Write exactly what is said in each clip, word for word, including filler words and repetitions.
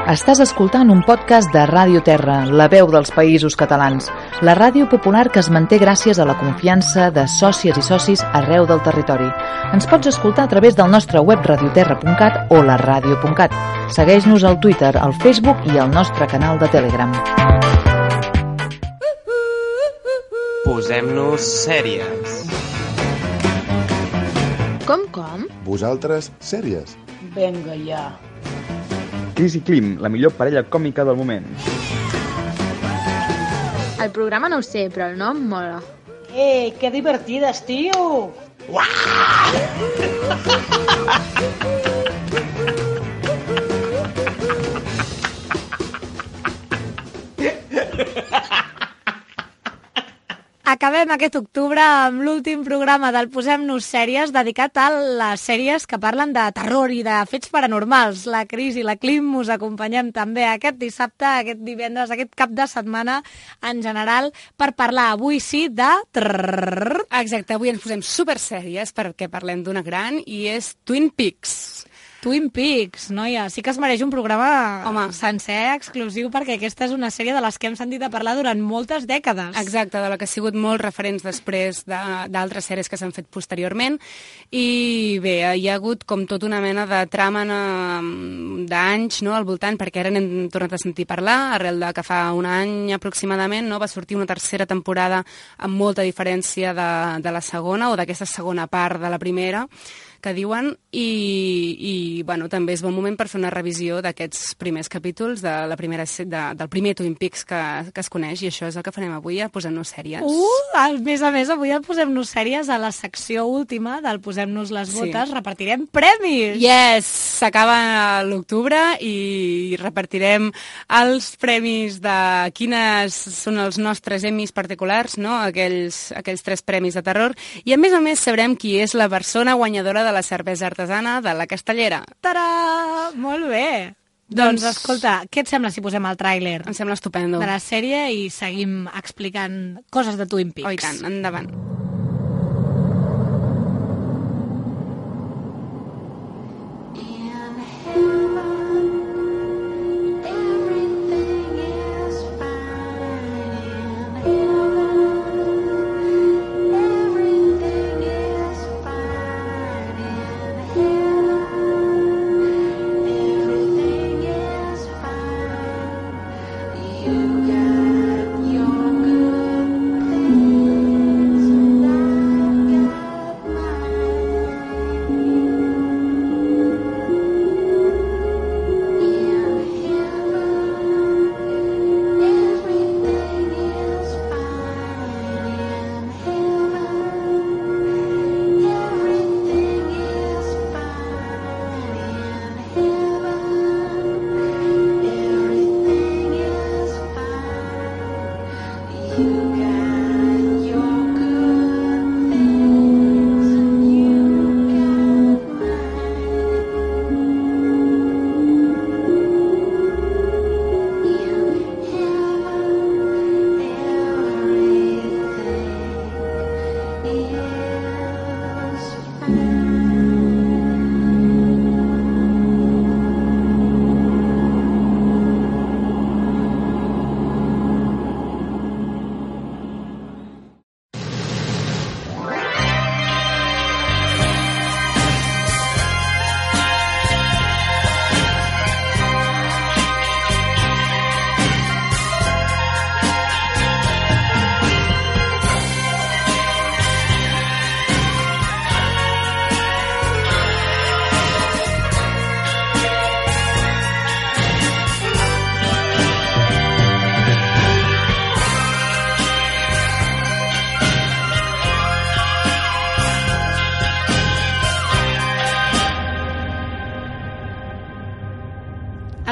Estàs escoltant un podcast de Ràdio Terra, la veu dels Països Catalans, la ràdio popular que es manté gràcies a la confiança de sòcies i socis arreu del territori. Ens pots escoltar a través del nostre web radioterra punt cat o la ràdio punt cat. Segueix-nos al Twitter, al Facebook i al nostre canal de Telegram. Posem-nos sèries. Com, com? Vosaltres, sèries. Vinga, ja. Cris i Clim, la millor parella còmica del moment. El programa no ho sé, però el nom mola. Ei, que divertides, tio! Acabem aquest octubre amb l'últim programa del Posem-nos Sèries dedicat a les sèries que parlen de terror i de fets paranormals. La Cris i la Clim us acompanyem també aquest dissabte, aquest divendres, aquest cap de setmana en general per parlar avui sí de... Exacte, avui ens posem super sèries perquè parlem d'una gran i és Twin Peaks. Twin Peaks, noia, sí que es mereix un programa Home. sencer, exclusiu, perquè aquesta és una sèrie de les que hem sentit a parlar durant moltes dècades. Exacte, de la que ha sigut molts referents després d'altres sèries que s'han fet posteriorment. I bé, hi ha hagut com tota una mena de trama d'anys, no?, al voltant, perquè ara n'hem tornat a sentir parlar, arrel de que fa un any aproximadament, no?, va sortir una tercera temporada amb molta diferència de, de la segona, o d'aquesta segona part de la primera, que diuen, i, i bueno, també és bon moment per fer una revisió d'aquests primers capítols de la primera, de, del primer Twin Peaks que, que es coneix, i això és el que farem avui, a Posem-nos Sèries. Uh, a més a més, avui al Posem-nos Sèries, a la secció última del Posem-nos les botes, sí, repartirem premis! Yes! S'acaba l'octubre i repartirem els premis de quines són els nostres Emmys particulars, no?, aquells, aquells tres premis de terror, i a més a més sabrem qui és la persona guanyadora de la cervesa artesana de la Castellera. Tarà! Molt bé! Doncs, doncs, escolta, què et sembla si posem el tràiler? Em sembla estupendo. De la sèrie i seguim explicant coses de Twin Peaks. Oh, i tant, endavant.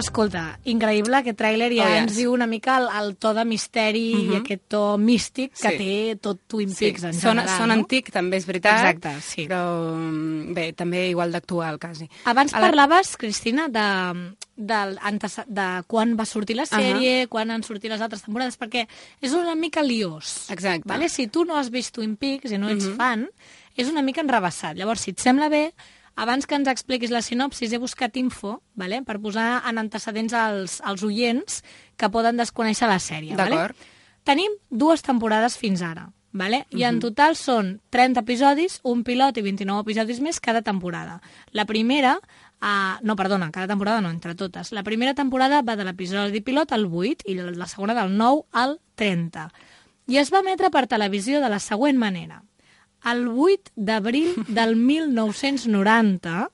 Escolta, increïble, aquest tràiler ja oh, yes. ens diu una mica el, el to de misteri uh -huh. i aquest to místic que sí. té tot Twin Peaks sí. en Sona, general. Sona no? antic, també és veritat, exacte, sí. però bé, també igual d'actual, quasi. Abans A la... parlaves, Cristina, de, de, de quan va sortir la sèrie, uh -huh. quan han sortit les altres temporades, perquè és una mica liós. Exacte. Vale? Si tu no has vist Twin Peaks i no ets uh -huh. fan, és una mica enrebaçat. Llavors, si et sembla bé, abans que ens expliquis la sinopsis, he buscat info, vale? Per posar en antecedents als, als oients que poden desconèixer la sèrie. D'acord. Vale? Tenim dues temporades fins ara, vale? I en total són trenta episodis, un pilot i vint-i-nou episodis més cada temporada. La primera... Uh, no, perdona, cada temporada no, entre totes. La primera temporada va de l'episodi pilot al vuit i la segona del nou al trenta. I es va emetre per televisió de la següent manera. El vuit d'abril del mil nou-cents noranta,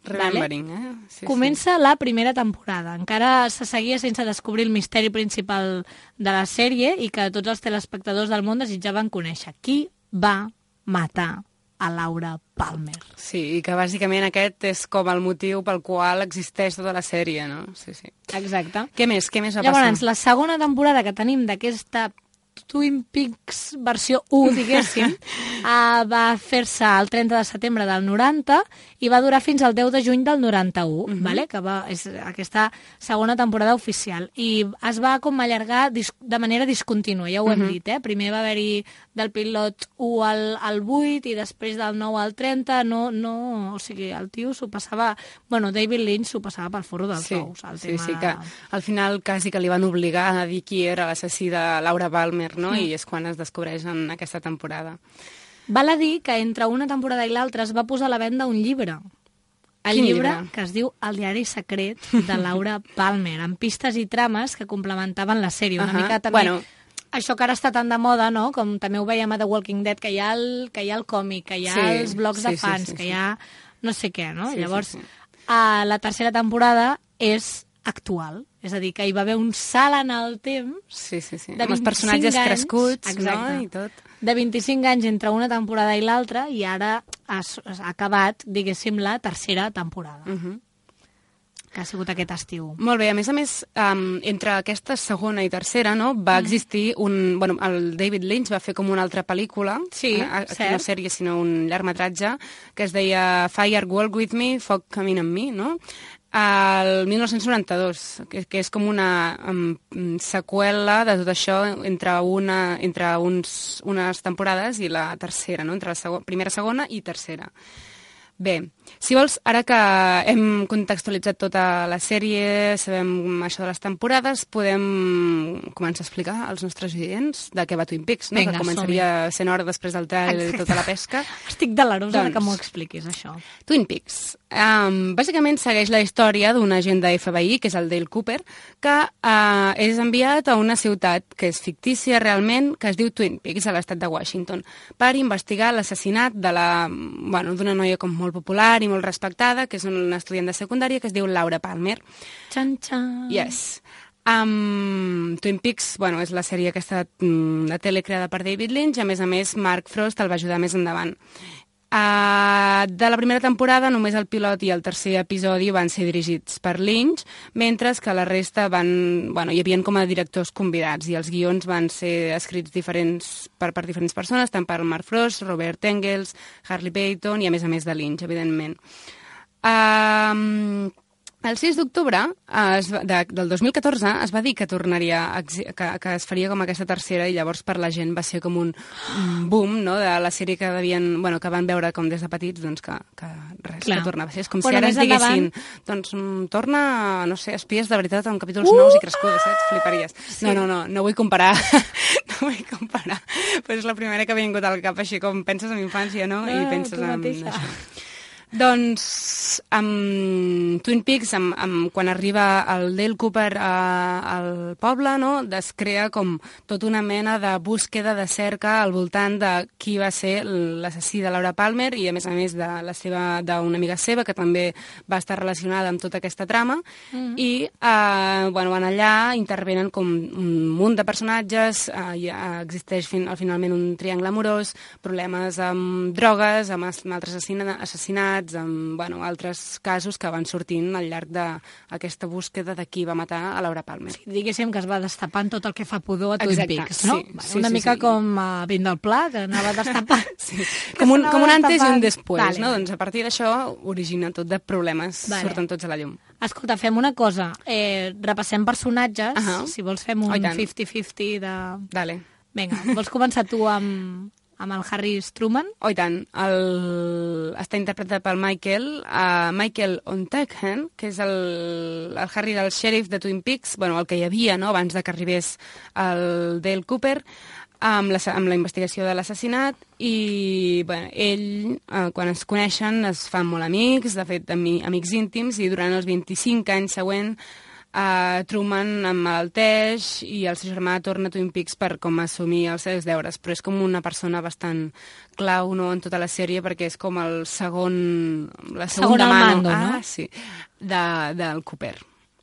Remembering, vale? eh? Sí, Comença sí. la primera temporada. Encara se seguia sense descobrir el misteri principal de la sèrie i que tots els telespectadors del món desitjaven conèixer. Qui va matar a Laura Palmer? Sí, i que bàsicament aquest és com el motiu pel qual existeix tota la sèrie, no? Sí, sí. Exacte. Què més? Què més va Llavors, passar? la segona temporada que tenim d'aquesta Twin Peaks versió u, diguéssim, uh, va fer-se el trenta de setembre del noranta i va durar fins al deu de juny del noranta-u, uh-huh. vale? Que va, és aquesta segona temporada oficial. I es va com allargar dis de manera discontínua, ja ho hem uh-huh. dit, eh? Primer va haver-hi del pilot u al, al vuit i després del nou al trenta, no, no, o sigui, el tio s'ho passava... Bueno, David Lynch s'ho passava pel forro dels sí, ous. El sí, tema sí, de... que al final quasi que li van obligar a dir qui era l'assassí de Laura Palmer, no? Mm. I és quan es descobreix en aquesta temporada. Val a dir que entre una temporada i l'altra es va posar a la venda un llibre. El Quin llibre, llibre? que es diu El diari secret de Laura Palmer, amb pistes i trames que complementaven la sèrie. Una Uh-huh. mica també... Bueno, això que ara està tan de moda, no? Com també ho veiem a The Walking Dead, que hi ha el, que hi ha el còmic, que hi ha Sí, els blogs sí, de sí, fans, sí, sí. que hi ha no sé què, no? Sí, Llavors, sí, sí. a la tercera temporada és actual. És a dir, que hi va haver un salt en el temps sí, sí, sí. de Amb els personatges vint-i-cinc anys, crescuts, exacte, no? I tot. de vint-i-cinc anys entre una temporada i l'altra i ara ha, ha acabat, diguéssim, la tercera temporada, Uh -huh. que ha sigut aquest estiu. Molt bé, a més a més, um, entre aquesta segona i tercera, no, va existir un... Bueno, el David Lynch va fer com una altra pel·lícula, Sí, eh, aquí cert. no sèrie, sinó un llargmetratge, que es deia Fire Walk With Me, Foc Camina amb mi, no? El mil nou-cents noranta-dos, que, que és com una um, seqüela de tot això entre, una, entre uns, unes temporades i la tercera, no? Entre la segon, primera, segona i tercera. Bé, si vols, ara que hem contextualitzat tota la sèrie, sabem això de les temporades, podem començar a explicar als nostres oients de què va Twin Peaks, no? Vinga, Que començaria sent hora després del tall i tota la pesca. Estic delerosa Doncs- que m'ho expliquis, això. Twin Peaks. Um, bàsicament segueix la història d'un agent de F B I, que és el Dale Cooper, que uh, és enviat a una ciutat que és fictícia realment, que es diu Twin Peaks, a l'estat de Washington, per investigar l'assassinat de la, bueno, d'una noia com molt popular i molt respectada, que és una estudiant de secundària, que es diu Laura Palmer. Xan, xan. Yes. Um, Twin Peaks, bueno, és la sèrie aquesta mm, de tele creada per David Lynch, a més a més Mark Frost el va ajudar més endavant. Uh, de la primera temporada només el pilot i el tercer episodi van ser dirigits per Lynch, mentre que la resta van, bueno, hi havia com a directors convidats i els guions van ser escrits diferents per, per diferents persones, tant per Mark Frost, Robert Engels, Harley Peyton i a més a més de Lynch, evidentment. Um, el sis d'octubre de, del dos mil catorze es va dir que tornaria a, que, que es faria com aquesta tercera i llavors per la gent va ser com un, un boom, no?, de la sèrie que devien, bueno, que van veure com des de petits, doncs que, que res, Clar. que tornava a ser. És com Bueno, si ara més ens diguessin, endavant- doncs mm, torna, no sé, Espies de veritat amb capítols nous i crescudes, saps? Fliparies. Sí. No, no, no, no vull comparar, no vull comparar, però és la primera que m'ha vingut al cap, així com penses en infància, no? No, I penses tu en mateixa. això. Doncs amb Twin Peaks, amb, amb, quan arriba el Dale Cooper a, al poble, no, es crea com tota una mena de búsqueda, de cerca al voltant de qui va ser l'assassí de Laura Palmer i a més a més de la seva d'una amiga seva que també va estar relacionada amb tota aquesta trama mm. i eh, bueno, van allà, intervenen com un munt de personatges, eh, ja existeix fin, finalment un triangle amorós, problemes amb drogues, amb, amb altres assassina, assassinats, amb bueno, altres casos que van sortint al llarg d'aquesta búsqueda de qui va matar a Laura Palmer. Sí, diguéssim que es va destapant tot el que fa pudor a Twin Exacte, Peaks, no? sí, Bueno, sí, una sí, mica sí. com a Vin del Pla, que anava destapant. Sí. Com, un, com un antes i un després, vale, no? vale. Doncs a partir d'això origina tot de problemes, Vale. surten tots a la llum. Escolta, fem una cosa. Eh, repassem personatges. Ahà. Si vols fem un Oh, i tant. cinquanta cinquanta de... Dale. Vinga, vols començar tu amb, amb el Harry Truman. Oh, i tant. El... Està interpretat pel Michael, uh, Michael Onteghen, que és el, el Harry del xèrif de Twin Peaks, bueno, el que hi havia, no?, abans de que arribés el Dale Cooper, amb la, amb la investigació de l'assassinat, i bueno, ell, eh, quan es coneixen, es fan molt amics, de fet, ami, amics íntims, i durant els vint-i-cinc anys següents Uh, Truman emmalalteix i el seu germà torna a Twin Peaks per com assumir els seus deures, però és com una persona bastant clau, no?, en tota la sèrie, perquè és com el segon... la segon al mando, ah, no? Sí, de, del Cooper.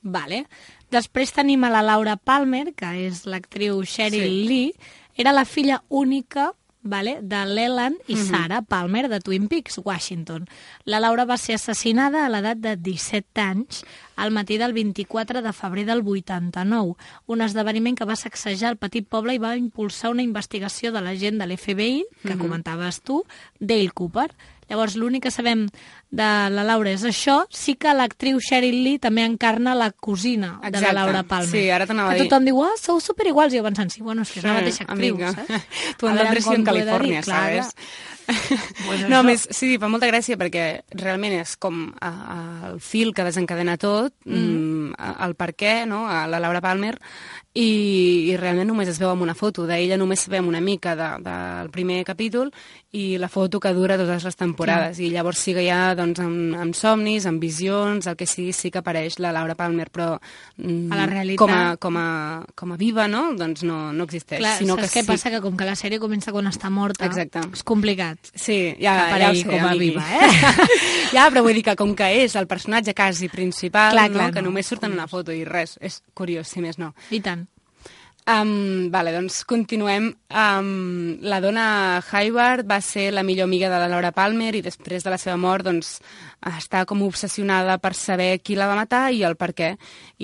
Vale. Després tenim a la Laura Palmer, que és l'actriu Cheryl Sí. Lee, era la filla única, vale, de Leland i Mhm. Sarah Palmer de Twin Peaks, Washington. La Laura va ser assassinada a l'edat de disset anys al matí del vint-i-quatre de febrer del vuitanta-nou, un esdeveniment que va sacsejar el petit poble i va impulsar una investigació de l'agent de l'F B I, que Mhm. comentaves tu, Dale Cooper. Llavors, l'únic que sabem de la Laura és això. Sí que l'actriu Cheryl Lee també encarna la cosina de Exacte. la Laura Palmer. Sí, ara t'anava a que dir. tothom diu, ah, sou superiguals. I jo pensant, sí, bueno, és que és la mateixa actriu, amiga. saps? Tu A en veure Andrés com en t'ho he de dir, Califòrnia, clar, sabes? Pues no, això. més, sí, fa molta gràcia perquè realment és com a, a, el fil que desencadena tot, mm. mm, el per què, no?, a la Laura Palmer, i, i realment només es veu amb una foto. D'ella només sabem una mica de, del primer capítol i la foto que dura totes les temporades. Clar. I llavors sí que hi ha, doncs, amb, amb somnis, amb visions, el que sigui, sí que apareix la Laura Palmer, però mm, a la realitat, com a, com a, com a viva, no?, doncs no, no existeix. Clar, sinó saps que què sí. passa? Que com que la sèrie comença quan està morta, Exacte. és complicat. Sí, ja, ja ho aparegui sé, com a amigui. viva, eh? Ja, però vull dir que com que és el personatge quasi principal, Clar, no? clar, que no. només surt en una foto i res, és curiós, si més no. I tant. Um, vale, doncs continuem. Um, la dona Hayward va ser la millor amiga de la Laura Palmer i després de la seva mort doncs, està com obsessionada per saber qui la va matar i el per què.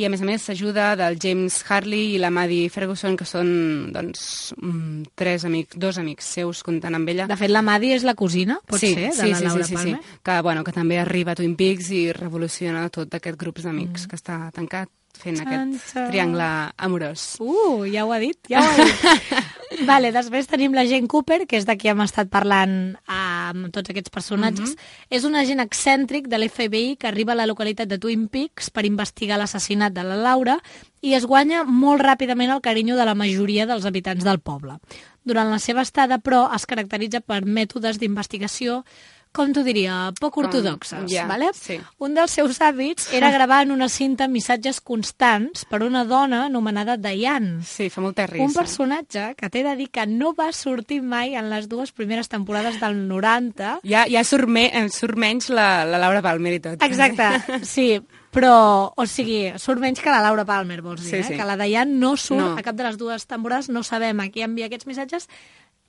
I a més a més s'ajuda del James Harley i la Maddie Ferguson, que són doncs, um, tres amics, dos amics seus comptant amb ella. De fet, la Maddie és la cosina, pot sí, ser, de sí, la sí, Laura sí, sí, Palmer. sí. Que, bueno, que també arriba a Twin Peaks i revoluciona tot aquest grup d'amics mm. que està tancat fent Xan, aquest xan. triangle amorós. Uh, ja ho ha dit, ja ho ha dit. Vale, després tenim l'agent Cooper, que és de qui hem estat parlant amb tots aquests personatges. Mm-hmm. És un agent excèntric de l'F B I que arriba a la localitat de Twin Peaks per investigar l'assassinat de la Laura i es guanya molt ràpidament el carinyo de la majoria dels habitants del poble. Durant la seva estada, però, es caracteritza per mètodes d'investigació, com t'ho diria, poc ortodoxes, yeah, vale? Sí. Un dels seus hàbits era gravar en una cinta missatges constants per una dona anomenada Diane. Sí, fa molta risa. Un personatge que t'he de dir que no va sortir mai en les dues primeres temporades del noranta. Ja, ja surt, me, surt menys la, la Laura Palmer i tot. Exacte, sí, però, o sigui, surt menys que la Laura Palmer, vols dir, Sí, eh? sí. Que la Diane no surt No. a cap de les dues temporades, no sabem a qui envia aquests missatges.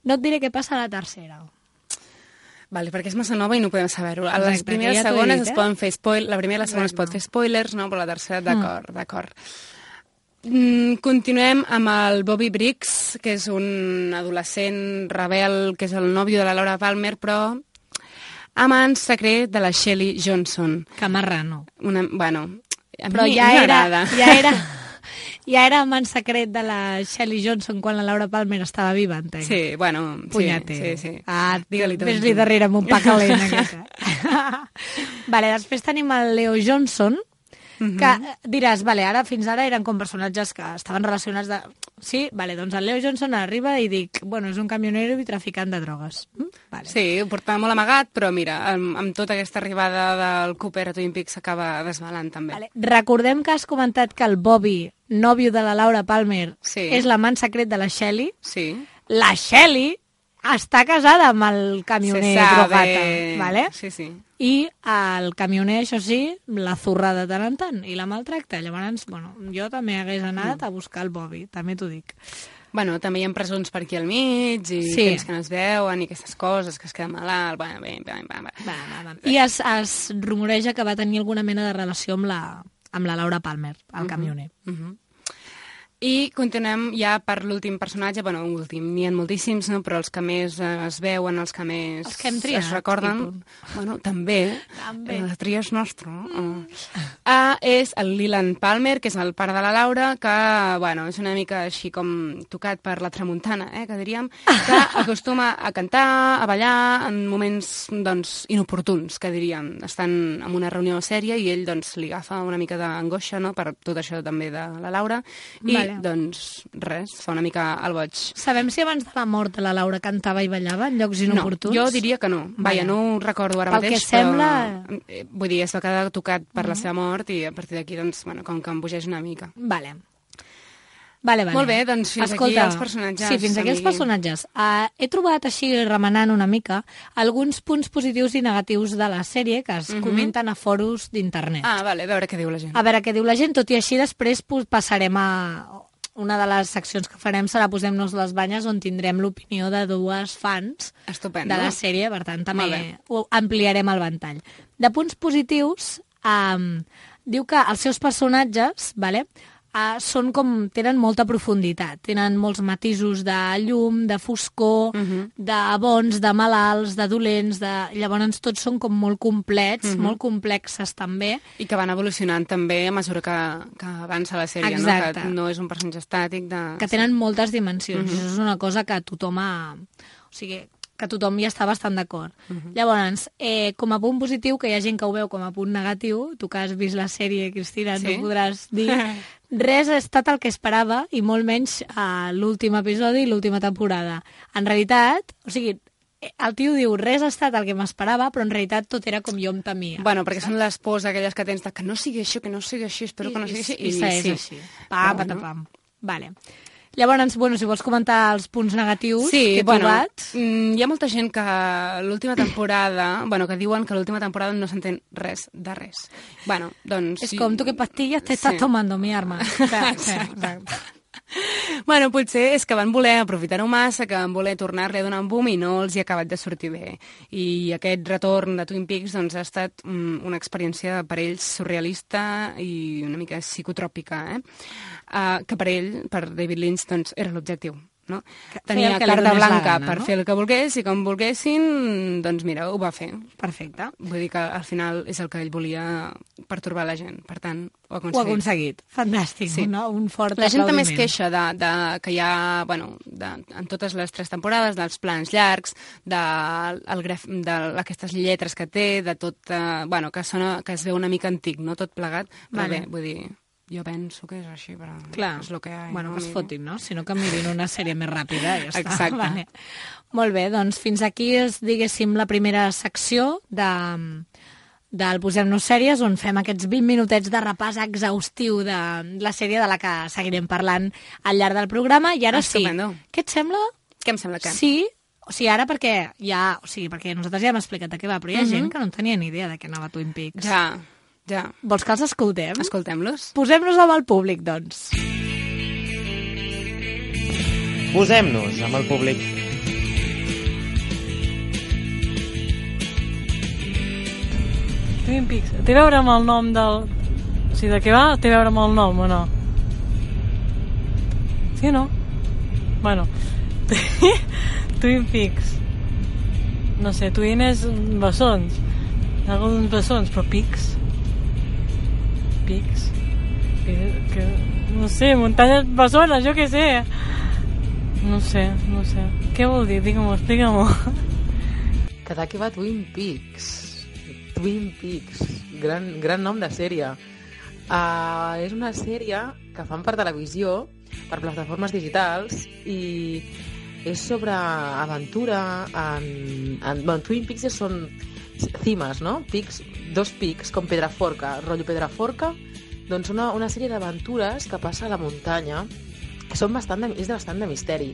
No et diré què passa a la tercera. Vale, perquè és massa nova i no podem saber-ho. A les Exacte, primeres ja i t'ho he segones dit, es eh? poden fer spoil... La primera i la segona es pot Exacte. fer spoilers, no? Però la tercera, d'acord, mm. d'acord. Mm, continuem amb el Bobby Briggs, que és un adolescent rebel, que és el nòvio de la Laura Palmer, però amant secret de la Shelley Johnson. Que marrano. Una, bueno, a Però mi ja era, m'agrada. ja era... Ja era amant secret de la Shelley Johnson quan la Laura Palmer estava viva, entenc. Sí, bueno, sí, Punyate. sí, sí. Ah, Digue-li tot. ves-li darrere amb un pa calent, aquesta. Vale, després tenim el Leo Johnson, que diràs, vale, ara fins ara eren com personatges que estaven relacionats de... Sí, vale, doncs el Leo Johnson arriba i dic, bueno, és un camionero i traficant de drogues. Mm? Vale. Sí, ho portava molt amagat, però mira, amb, amb tota aquesta arribada del Cooper a Twin Peaks s'acaba desvelant també. Vale. Recordem que has comentat que el Bobby, nòvio de la Laura Palmer, Sí. és l'amant secret de la Shelley. Sí. La Shelley està casada amb el camioner Se sabe. drogata, vale? Sí, sí. I el camioner, això sí, la zurra de tant en tant i la maltracta. Llavors, bueno, jo també hagués anat a buscar el Bobby, també t'ho dic. Bueno, també hi ha presons per aquí al mig i Sí. temps que no es veuen i aquestes coses, que es queda malalt... Bueno, bé, bé, bé, bé. Va, va, va. I es, es rumoreja que va tenir alguna mena de relació amb la, amb la Laura Palmer, el camioner. Uh -huh. I continuem ja per l'últim personatge, bueno, últim, n'hi ha moltíssims, no? Però els que més eh, es veuen, els que més els que hem triat, es recorden... Bueno, també. També. La tria és nostra. Mm. Uh, és el Leland Palmer, que és el pare de la Laura, que, bueno, és una mica així com tocat per la tramuntana, eh, que diríem, que acostuma a cantar, a ballar en moments, doncs, inoportuns, que diríem. Estan en una reunió sèria i ell, doncs, li agafa una mica d'angoixa, no?, per tot això també de la Laura, i vale. doncs res, fa una mica el boig. Sabem si abans de la mort de la Laura cantava i ballava en llocs inoportuns? No, jo diria que no. Vaja, no ho recordo ara Pel mateix, que sembla... però... Vull dir, es va quedar tocat per mm. la seva mort i a partir d'aquí, doncs, bueno, com que em bogeix una mica. Vale. Vale, vale. Molt bé, doncs fins Escolta, aquí els personatges. Sí, fins aquí els personatges. Uh, he trobat així, remenant una mica, alguns punts positius i negatius de la sèrie que es mm-hmm. comenten a foros d'internet. Ah, vale, a veure què diu la gent. A veure què diu la gent, tot i així després passarem a... Una de les seccions que farem serà Posem-nos les banyes, on tindrem l'opinió de dues fans Estupendo. de la sèrie, per tant també ho ampliarem el ventall. De punts positius, um, diu que els seus personatges, vale, Uh, són com, tenen molta profunditat, tenen molts matisos de llum, de foscor, uh-huh. de bons, de malalts, de dolents, de... llavors tots són com molt complets, uh-huh. molt complexes també. I que van evolucionant també a mesura que, que avança la sèrie, exacte. No? Que no és un personatge estàtic. De... Que tenen moltes dimensions, uh-huh. i això és una cosa que tothom ha... O sigui, que tothom hi està bastant d'acord. Uh-huh. Llavors, eh, com a punt positiu, que hi ha gent que ho veu com a punt negatiu, tu que has vist la sèrie, Cristina, sí? No podràs dir... Res ha estat el que esperava, i molt menys a l'últim episodi i l'última temporada. En realitat, o sigui, el tio diu, res ha estat el que m'esperava, però en realitat tot era com jo em temia. Bueno, perquè saps? Són les pors aquelles que tens de que no sigui això, que no sigui així, espero I, que no sigui així. I, i, i és sí. així. Pam, bueno. patapam. Vale. Llavors, bueno, si vols comentar els punts negatius sí, que he bueno, trobat... Mm, hi ha molta gent que l'última temporada... bueno, que diuen que l'última temporada no s'entén res de res. Bueno, doncs... És com, tu que pastilles te estàs sí. tomando, mi arma. Exacte. Bueno, potser és que van voler aprofitar-ho massa, que van voler tornar-li a donar un boom i no els hi ha acabat de sortir bé. I aquest retorn de Twin Peaks doncs, ha estat mm, una experiència per ells surrealista i una mica psicotròpica, eh? Uh, que per ell, per David Lynch, doncs, era l'objectiu. No? Tenia carta blanca gana, per no? fer el que volgués i com volguessin, doncs mira, ho va fer. Perfecte. Vull dir que al final és el que ell volia pertorbar la gent, per tant, ho ha aconseguit. Ho ha aconseguit. Fantàstic, sí. No? Un fort la gent també es aplaudiment. queixa de, de, que hi ha, bueno, de, en totes les tres temporades, dels plans llargs, de, el graf, de aquestes lletres que té, de tot, eh, bueno, que, sona, que es veu una mica antic, no tot plegat, però vale. bé, vull dir... Jo penso que és així, però clar. És el que hi ha. Bueno, no, que es fotin, no? Si no, que mirin una sèrie més ràpida i ja està. Exacte. Vale. Molt bé, doncs fins aquí és, diguéssim, la primera secció de, del Posem-nos sèries, on fem aquests vint minutets de repàs exhaustiu de la sèrie de la que seguirem parlant al llarg del programa. I ara Estupendo. sí. Què et sembla? Què em sembla que? Sí, o sigui, ara perquè ja... O sigui, perquè nosaltres ja hem explicat de què va, però hi ha Mm-hmm. gent que no tenia ni idea de què anava Twin Peaks. Ja, ja. Vols que els escoltem? Escoltem-los. Posem-nos amb el públic, doncs. Posem-nos amb el públic. Twin Peaks. Té a veure amb el nom del... O sigui, de què va? Té a veure amb el nom o no? Sí o no? Bueno. Twin Peaks. No sé, Twin és bessons. Alguns bessons, però Peaks. Peaks. Que, que, no sé, muntanyes bessones, jo què sé. No sé, no sé. Què vol dir? Digue-m'ho, explica-m'ho. Que d'aquí va Twin Peaks. Twin Peaks. Gran, gran nom de sèrie. Uh, és una sèrie que fan per televisió, per plataformes digitals, i és sobre aventura. En, en, bueno, Twin Peaks són cimes, no? Pics, dos pics, com Pedraforca, rotllo Pedraforca, doncs una, una sèrie d'aventures que passa a la muntanya, que són bastant de, és de bastant de misteri,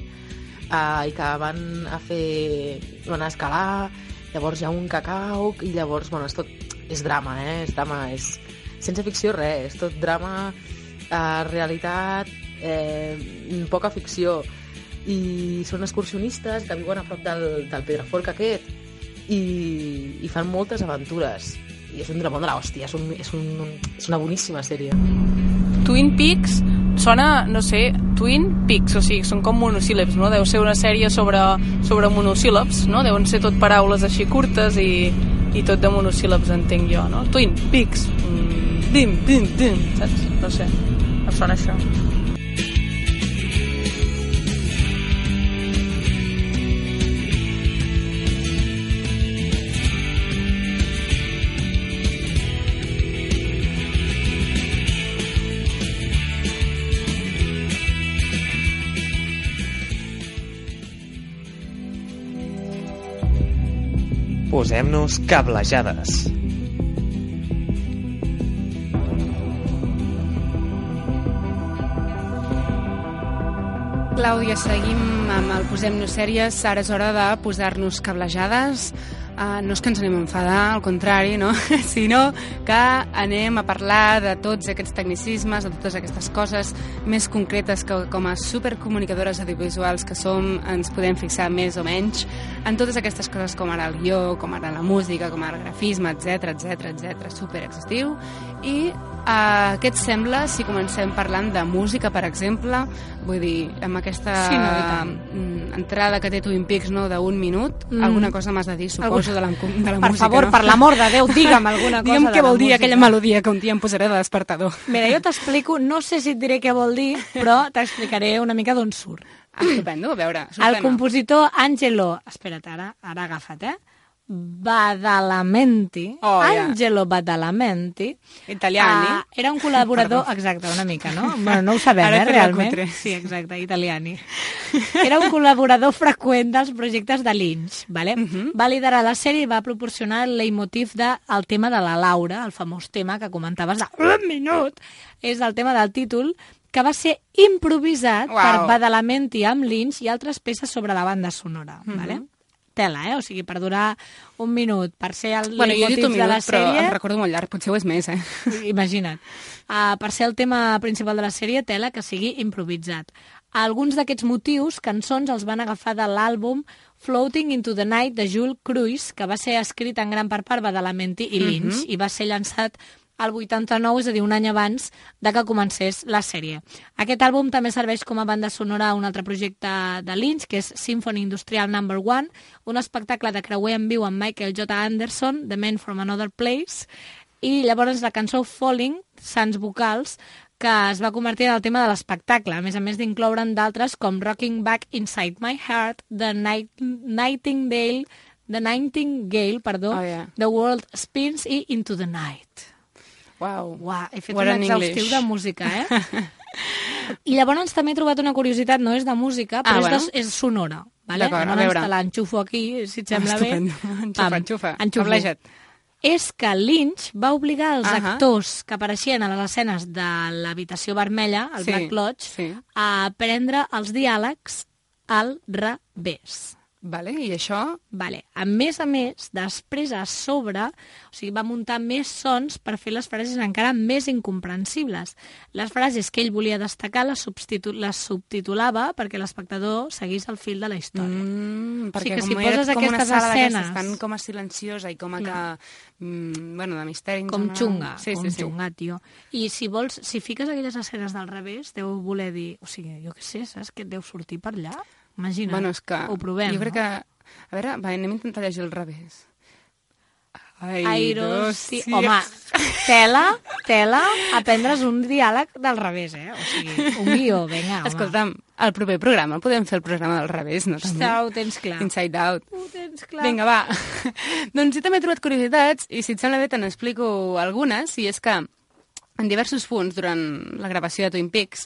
uh, i que van a fer, van a escalar, llavors hi ha un cacau, i llavors, bueno, és tot, és drama, eh? És drama, és sense ficció res, és tot drama, uh, realitat, eh, poca ficció, i són excursionistes que viuen a prop del, del Pedraforca aquest, i, i fan moltes aventures, i és un dramón de l'hòstia, és, un, és, un, és una boníssima sèrie. Twin Peaks sona, no sé, Twin Peaks, o sigui, són com monosíl·labs, no? Deu ser una sèrie sobre, sobre monosíl·labs, no? Deuen ser tot paraules així curtes i, i tot de monosíl·labs, entenc jo, no? Twin Peaks, mm, dim, dim, dim, saps? No sé, em sona això. Posem-nos cablejades. Clàudia, seguim amb el Posem-nos sèries. Ara és hora de posar-nos cablejades. Uh, no és que ens anem a enfadar, al contrari, no? Sinó que anem a parlar de tots aquests tecnicismes, de totes aquestes coses més concretes que com a supercomunicadores audiovisuals que som ens podem fixar més o menys en totes aquestes coses com ara el guió, com ara la música, com ara el grafisme, etc etc etc, super exhaustiu. I uh, què et sembla si comencem parlant de música, per exemple? Vull dir, amb aquesta sí, no, entrada que té Twin Peaks, no, d'un minut, mm. alguna cosa m'has de dir, suposo, de la, de la per música. Per favor, no? Per l'amor de Déu, digue'm alguna cosa. Digue'm què vol dir música. Aquella melodia que un dia em posaré de despertador. Mira, jo t'explico, no sé si et diré què vol dir, però t'explicaré una mica d'on surt. Ah, estupendo, a veure. El compositor Angelo... Espera't, ara, ara agafa't, eh? Badalamenti, oh, yeah. Angelo Badalamenti, italiani, uh, era un col·laborador, exacte, una mica, no? Bueno, no ho sabem, eh, realment. Sí, exacte, italiani. Era un col·laborador freqüent dels projectes de Lynch, vale? Uh-huh. Va liderar la sèrie i va proporcionar el leitmotiv del tema de la Laura, el famós tema que comentaves de un minut, és el tema del títol, que va ser improvisat wow. per Badalamenti amb Lynch i altres peces sobre la banda sonora, uh-huh. vale? Tela, eh? O sigui, per durar un minut, per ser el bueno, leitmotiv de la sèrie... Però em recordo molt llarg, potser ho és més, eh? Imagina't. Uh, per ser el tema principal de la sèrie, tela que sigui improvisat. Alguns d'aquests motius, cançons, els van agafar de l'àlbum Floating into the Night de Jules Cruise, que va ser escrit en gran part per Badalamenti i Lynch, uh-huh. i va ser llançat al vuitanta-nou, és a dir, un any abans de que comencés la sèrie. Aquest àlbum també serveix com a banda sonora a un altre projecte de Lynch, que és Symphony Industrial number one, un espectacle de creuer en viu amb Michael J. Anderson, The Man from Another Place, i llavors la cançó Falling, Sans vocals, que es va convertir en el tema de l'espectacle, a més a més d'incloure'n d'altres com Rocking Back Inside My Heart, The Night Nightingale, The Nightingale, perdó, oh, yeah. The World Spins i Into the Night. Wow. Uau, he fet What un exhaustiu English. De música, eh? I llavors també he trobat una curiositat, no és de música, però ah, és, bueno. de, és sonora. Vale? D'acord, a veure. Te l'enxufo aquí, si et sembla ah, bé. Enxufa, enxufa. Enxufo. És que Lynch va obligar els uh-huh. actors que apareixien a les escenes de l'habitació vermella, el sí, Black Lodge, sí. a aprendre els diàlegs al revés. Vale, i això? Vale. A més a més, després a sobre, o sigui, va muntar més sons per fer les frases encara més incomprensibles. Les frases que ell volia destacar les, substitu les subtitulava perquè l'espectador seguís el fil de la història. Mm, perquè o sigui que com si poses com aquestes una escenes... tan com a silenciosa i com a que... Mm, bueno, de misteri... Com xunga, sí, com sí, sí. xunga, tio. I si vols, si fiques aquelles escenes del revés, deu voler dir... O sigui, jo què sé, saps que et deu sortir per allà? Imagina't, bueno, és que ho provem, jo crec no? que... A veure, va, anem a intentar llegir al revés. Ai, Airos, sí. Home, tela, tela, aprendre's un diàleg del revés, eh? O sigui, un guió, vinga, home. Escolta'm, el proper programa podem fer el programa del revés, no? També? Ho tens clar. Inside Out. Ho tens clar. Vinga, va. Doncs jo també he trobat curiositats i si et sembla bé te n'explico algunes, i és que en diversos punts durant la gravació de Twin Peaks,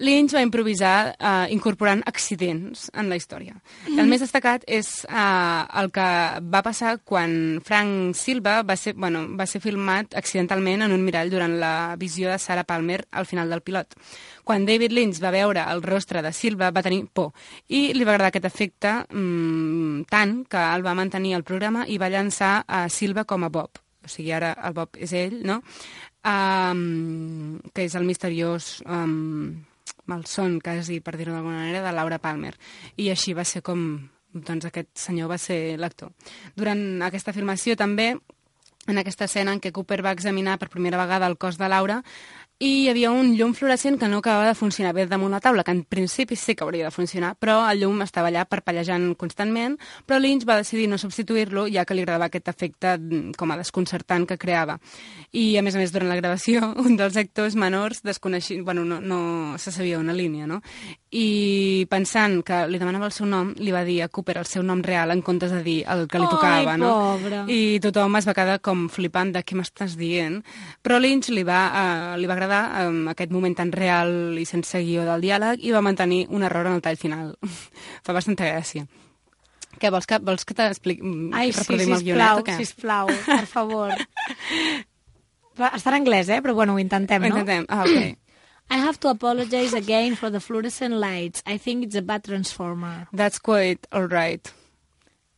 Lynch va improvisar eh, incorporant accidents en la història. Mm. El més destacat és eh, el que va passar quan Frank Silva va ser, bueno, va ser filmat accidentalment en un mirall durant la visió de Sarah Palmer al final del pilot. Quan David Lynch va veure el rostre de Silva va tenir por i li va agradar aquest efecte mmm, tant que el va mantenir al programa i va llançar a Silva com a Bob. O sigui, ara el Bob és ell, no? Um, que és el misteriós um, malson, quasi, per dir-ho d'alguna manera, de Laura Palmer. I així va ser com doncs, aquest senyor va ser l'actor. Durant aquesta filmació també, en aquesta escena en què Cooper va examinar per primera vegada el cos de Laura, i hi havia un llum fluorescent que no acabava de funcionar bé damunt la taula, que en principi sí que hauria de funcionar, però el llum estava allà parpellejant constantment, però Lynch va decidir no substituir-lo, ja que li agradava aquest efecte com a desconcertant que creava. I, a més a més, durant la gravació, un dels actors menors desconeixia, bueno, no, no se sabia una línia, no? I pensant que li demanava el seu nom, li va dir a Cooper el seu nom real en comptes de dir el que li tocava, Ai, no? pobre. I tothom es va quedar com flipant de què m'estàs dient. Però Lynch li va, uh, li va agradar um, aquest moment tan real i sense guió del diàleg i va mantenir un error en el tall final. Fa bastanta gràcia. Què, vols que, vols que t'expliqui? Ai, sí, reproduïm el sisplau, guionet o què? sisplau, per favor. Va, està en anglès, eh? Però bueno, ho intentem, Ho no? intentem, ah, ok. I have to apologize again for the fluorescent lights. I think it's a bad transformer. That's quite all right.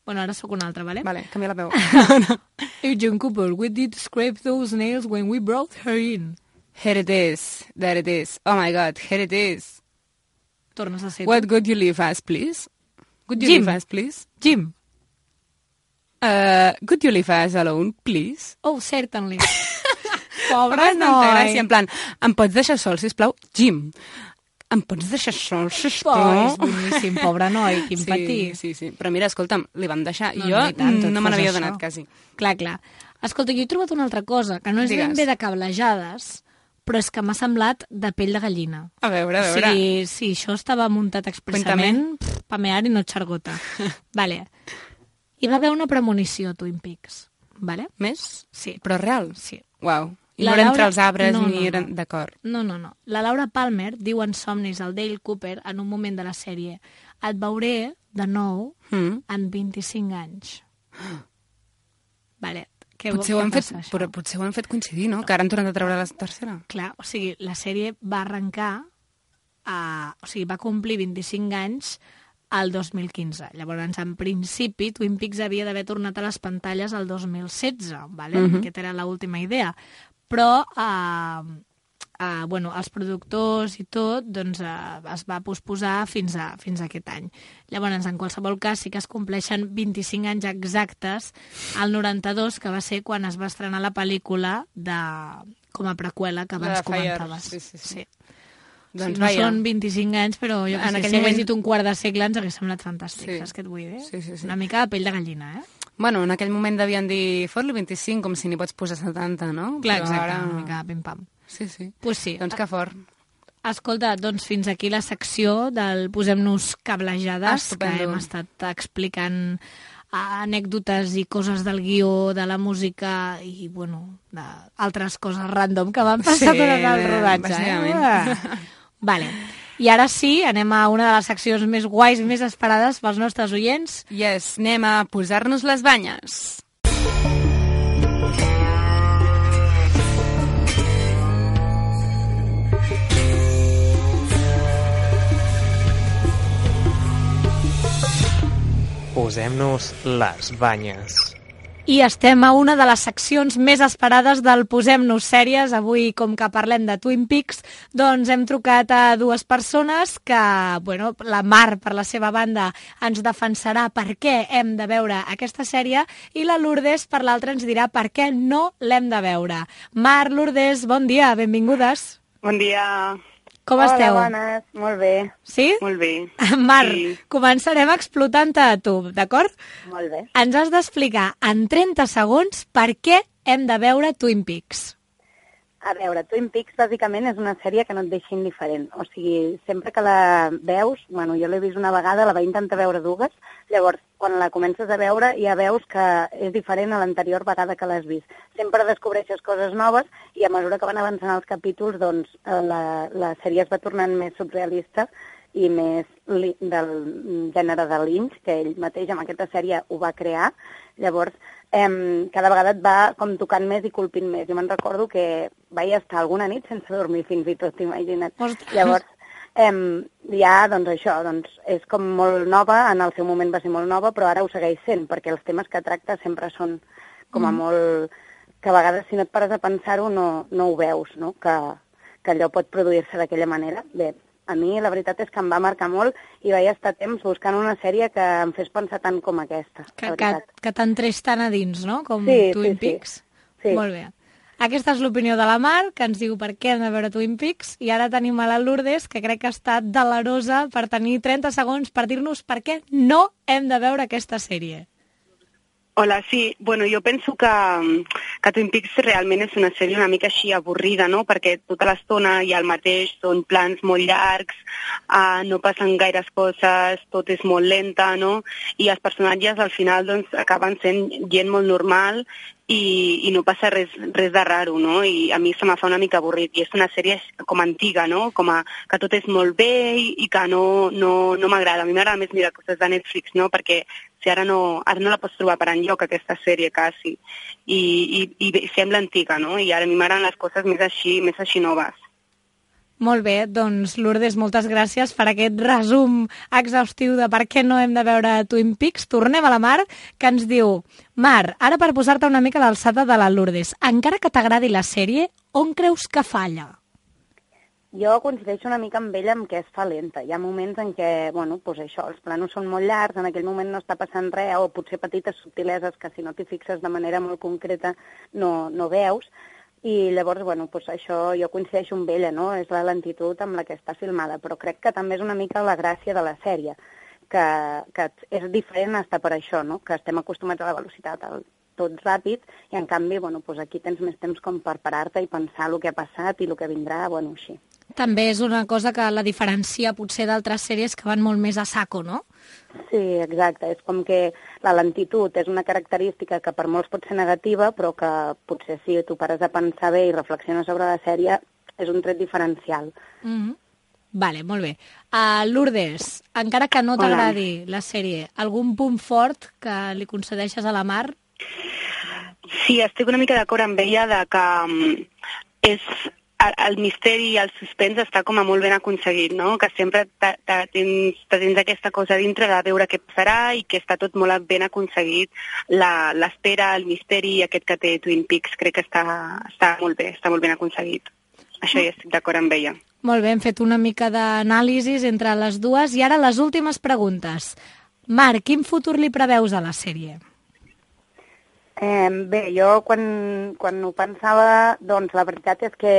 Bueno, ara sóc una altra, vale? Vale, canvia la veu. Agent Cooper, we did scrape those nails when we brought her in. Here it is. There it is. Oh my God, here it is. Tornes a ser What tu. could you leave us, please? Could you Jim. leave us, please? Jim. Uh, could you leave us alone, please? Oh, certainly. Fa Pobre bastanta noi. gràcia, en plan, em pots deixar sol, sisplau? Jim, em pots deixar sol, Oh, sisplau? és boníssim, pobre noi, quin sí, petit. Sí, sí, però mira, escolta'm, li vam deixar. No, Jo no, i tant, tot no me fos n'havia això. donat, quasi. Clar, clar. Escolta, jo he trobat una altra cosa, que no és Digues. ben bé de cablejades, però és que m'ha semblat de pell de gallina. A veure, a O veure. sigui, si això estava muntat expressament, pff, pamear i no xargota. Vale. Hi va haver una premonició a Twin Peaks. Vale? Més? Sí. Però real? Sí. Uau. I La no era Laura- entre els arbres no, ni no, eren... no. D'acord. No, no, no. La Laura Palmer diu en somnis al Dale Cooper en un moment de la sèrie: et veuré de nou Mm. en vint-i-cinc anys. Vale. Què, Potser, què ho han fet, passa, això? però potser ho han fet coincidir, no? Que ara han tornat a treure la tercera. Clar, o sigui, la sèrie va arrencar, a, o sigui, va complir vint-i-cinc anys al dos mil quinze. Llavors, en principi, Twin Peaks havia d'haver tornat a les pantalles el dos mil setze, ¿vale? Mhm. Aquesta era l'última idea. Però, eh, eh, bueno, els productors i tot, doncs, eh, es va posposar fins a, fins a aquest any. Llavors, en qualsevol cas, sí que es compleixen vint-i-cinc anys exactes al noranta-dos, que va ser quan es va estrenar la pel·lícula de, com a preqüela que La abans de Fire. comentaves. Sí, sí, sí. sí. Doncs sí, no vaja. són vint-i-cinc anys, però jo que En sé, aquell si hagués moment- dit un quart de segle ens hagués semblat fantàstic, Sí. saps què et vull dir? Sí, sí, sí. Una mica de pell de gallina, eh? Bueno, en aquell moment devien dir fot-li vint-i-cinc, com si n'hi pots posar setanta, no? Clar, Però exacte, ara... una mica pim-pam. Sí, sí. Pues sí. Doncs que fort. Escolta, doncs fins aquí la secció del Posem-nos cablejades, Estupendo. que hem estat explicant anècdotes i coses del guió, de la música i, bueno, d'altres coses random que van passar Sí, durant el rodatge. bàsicament. Eh? Vale. I ara sí, anem a una de les seccions més guais, més esperades pels nostres oients. Yes, anem a posar-nos les banyes. Posem-nos les banyes. I estem a una de les seccions més esperades del Posem-nos sèries. Avui, com que parlem de Twin Peaks, doncs hem trucat a dues persones que, bueno, la Mar, per la seva banda, ens defensarà per què hem de veure aquesta sèrie i la Lourdes, per l'altra, ens dirà per què no l'hem de veure. Mar, Lourdes, bon dia, benvingudes. Bon dia. Com Hola, esteu? bones, molt bé. Sí? Molt bé. Mar, Sí. començarem explotant-te a tu, d'acord? Molt bé. Ens has d'explicar en trenta segons per què hem de veure Twin Peaks. A veure, Twin Peaks bàsicament és una sèrie que no et deixa indiferent. O sigui, sempre que la veus, bueno, jo l'he vist una vegada, la vaig intentar veure dues, llavors quan la comences a veure ja veus que és diferent a l'anterior vegada que l'has vist. Sempre descobreixes coses noves i a mesura que van avançant els capítols, doncs la, la sèrie es va tornant més surrealista i més li, del gènere de Lynch, que ell mateix amb aquesta sèrie ho va crear. Llavors, eh, cada vegada et va com tocant més i colpint més. Jo me'n recordo que vaig estar alguna nit sense dormir fins i tot, imagina't. Ostres. Llavors, eh, ja, doncs això, doncs és com molt nova, en el seu moment va ser molt nova, però ara ho segueix sent, perquè els temes que tracta sempre són com a Mm. molt... que a vegades si no et pares a pensar-ho no, no ho veus, no? Que, que allò pot produir-se d'aquella manera. Bé, a mi la veritat és que em va marcar molt i vaig estar temps buscant una sèrie que em fes pensar tant com aquesta, Que, la que, veritat. que t'entrés tant a dins, no?, com Sí, Twin sí, sí. Peaks. Sí. Molt bé. Aquesta és l'opinió de la Mar, que ens diu per què hem de veure Twin Peaks, i ara tenim a la Lourdes, que crec que ha estat delerosa per tenir trenta segons per dir-nos per què no hem de veure aquesta sèrie. Hola, sí. Bueno, jo penso que, que Twin Peaks realment és una sèrie una mica així avorrida, no? Perquè tota l'estona hi ha el mateix, són plans molt llargs, uh, no passen gaires coses, tot és molt lenta, no? I els personatges al final doncs, acaben sent gent molt normal i, i no passa res, res de raro, no? I a mi se me fa una mica avorrit. I és una sèrie com antiga, no? Com a, que tot és molt bé i, i que no, no, no m'agrada. A mi m'agrada més mirar coses de Netflix, no? Perquè si ara no, ara no la pots trobar per enlloc, aquesta sèrie, quasi. I, i, i sembla antiga, no? I ara a mi m'agraden les coses més així, més així noves. Molt bé, doncs Lourdes, moltes gràcies per aquest resum exhaustiu de per què no hem de veure Twin Peaks. Tornem a la Mar, que ens diu: Mar, ara per posar-te una mica a l'alçada de la Lourdes, encara que t'agradi la sèrie, on creus que falla? Jo coincideixo una mica amb ella en què es fa lenta. Hi ha moments en què, bueno, doncs això, els planos són molt llargs, en aquell moment no està passant res, o potser petites subtileses que si no t'hi fixes de manera molt concreta no, no veus. I llavors, bueno, doncs això jo coincideixo amb ella, no? És la lentitud amb la que està filmada, però crec que també és una mica la gràcia de la sèrie, que, que és diferent estar per això, no? Que estem acostumats a la velocitat, al tot ràpid, i en canvi, bueno, doncs aquí tens més temps com per parar-te i pensar el que ha passat i el que vindrà, bueno, així. També és una cosa que la diferencia potser d'altres sèries que van molt més a saco, no? Sí, exacte. És com que la lentitud és una característica que per molts pot ser negativa, però que potser si tu pares a pensar bé i reflexiones sobre la sèrie, és un tret diferencial. Mm-hmm. Vale, molt bé. Uh, Lourdes, encara que no t'agradi la sèrie, algun punt fort que li concedeixes a la Mar? Sí, estic una mica d'acord amb ella de que um, és... el misteri i el suspens està com a molt ben aconseguit, no? Que sempre te, te, tens, te tens aquesta cosa dintre de veure què passarà i que està tot molt ben aconseguit. L'espera, el misteri aquest que té Twin Peaks crec que està, està molt bé, està molt ben aconseguit. Això ja estic d'acord amb ella. Molt bé, hem fet una mica d'anàlisi entre les dues i ara les últimes preguntes. Mar, quin futur li preveus a la sèrie? Eh, bé, jo quan, quan ho pensava, doncs la veritat és que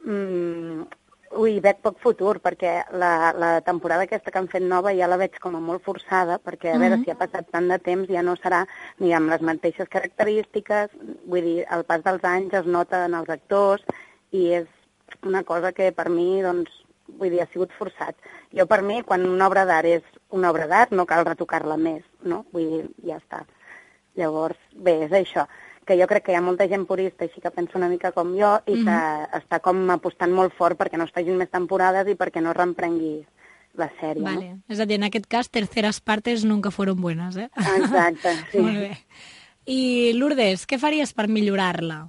mm, ui, veig poc futur, perquè la, la temporada aquesta que han fet nova ja la veig com a molt forçada, perquè a veure mm-hmm. si ha passat tant de temps ja no serà ni amb les mateixes característiques, vull dir, el pas dels anys es nota en els actors i és una cosa que per mi, doncs, vull dir, ha sigut forçat. Jo per mi, quan una obra d'art és una obra d'art, no cal retocar-la més, no? Vull dir, ja està. Llavors, bé, és això, que jo crec que hi ha molta gent purista així que pensa una mica com jo i que mm-hmm. està com apostant molt fort perquè no es facin més temporades i perquè no reemprengui la sèrie. Vale. No? És a dir, en aquest cas, terceres partes nunca fueron buenas, eh? Exacte, sí. Molt bé. I Lourdes, què faries per millorar-la?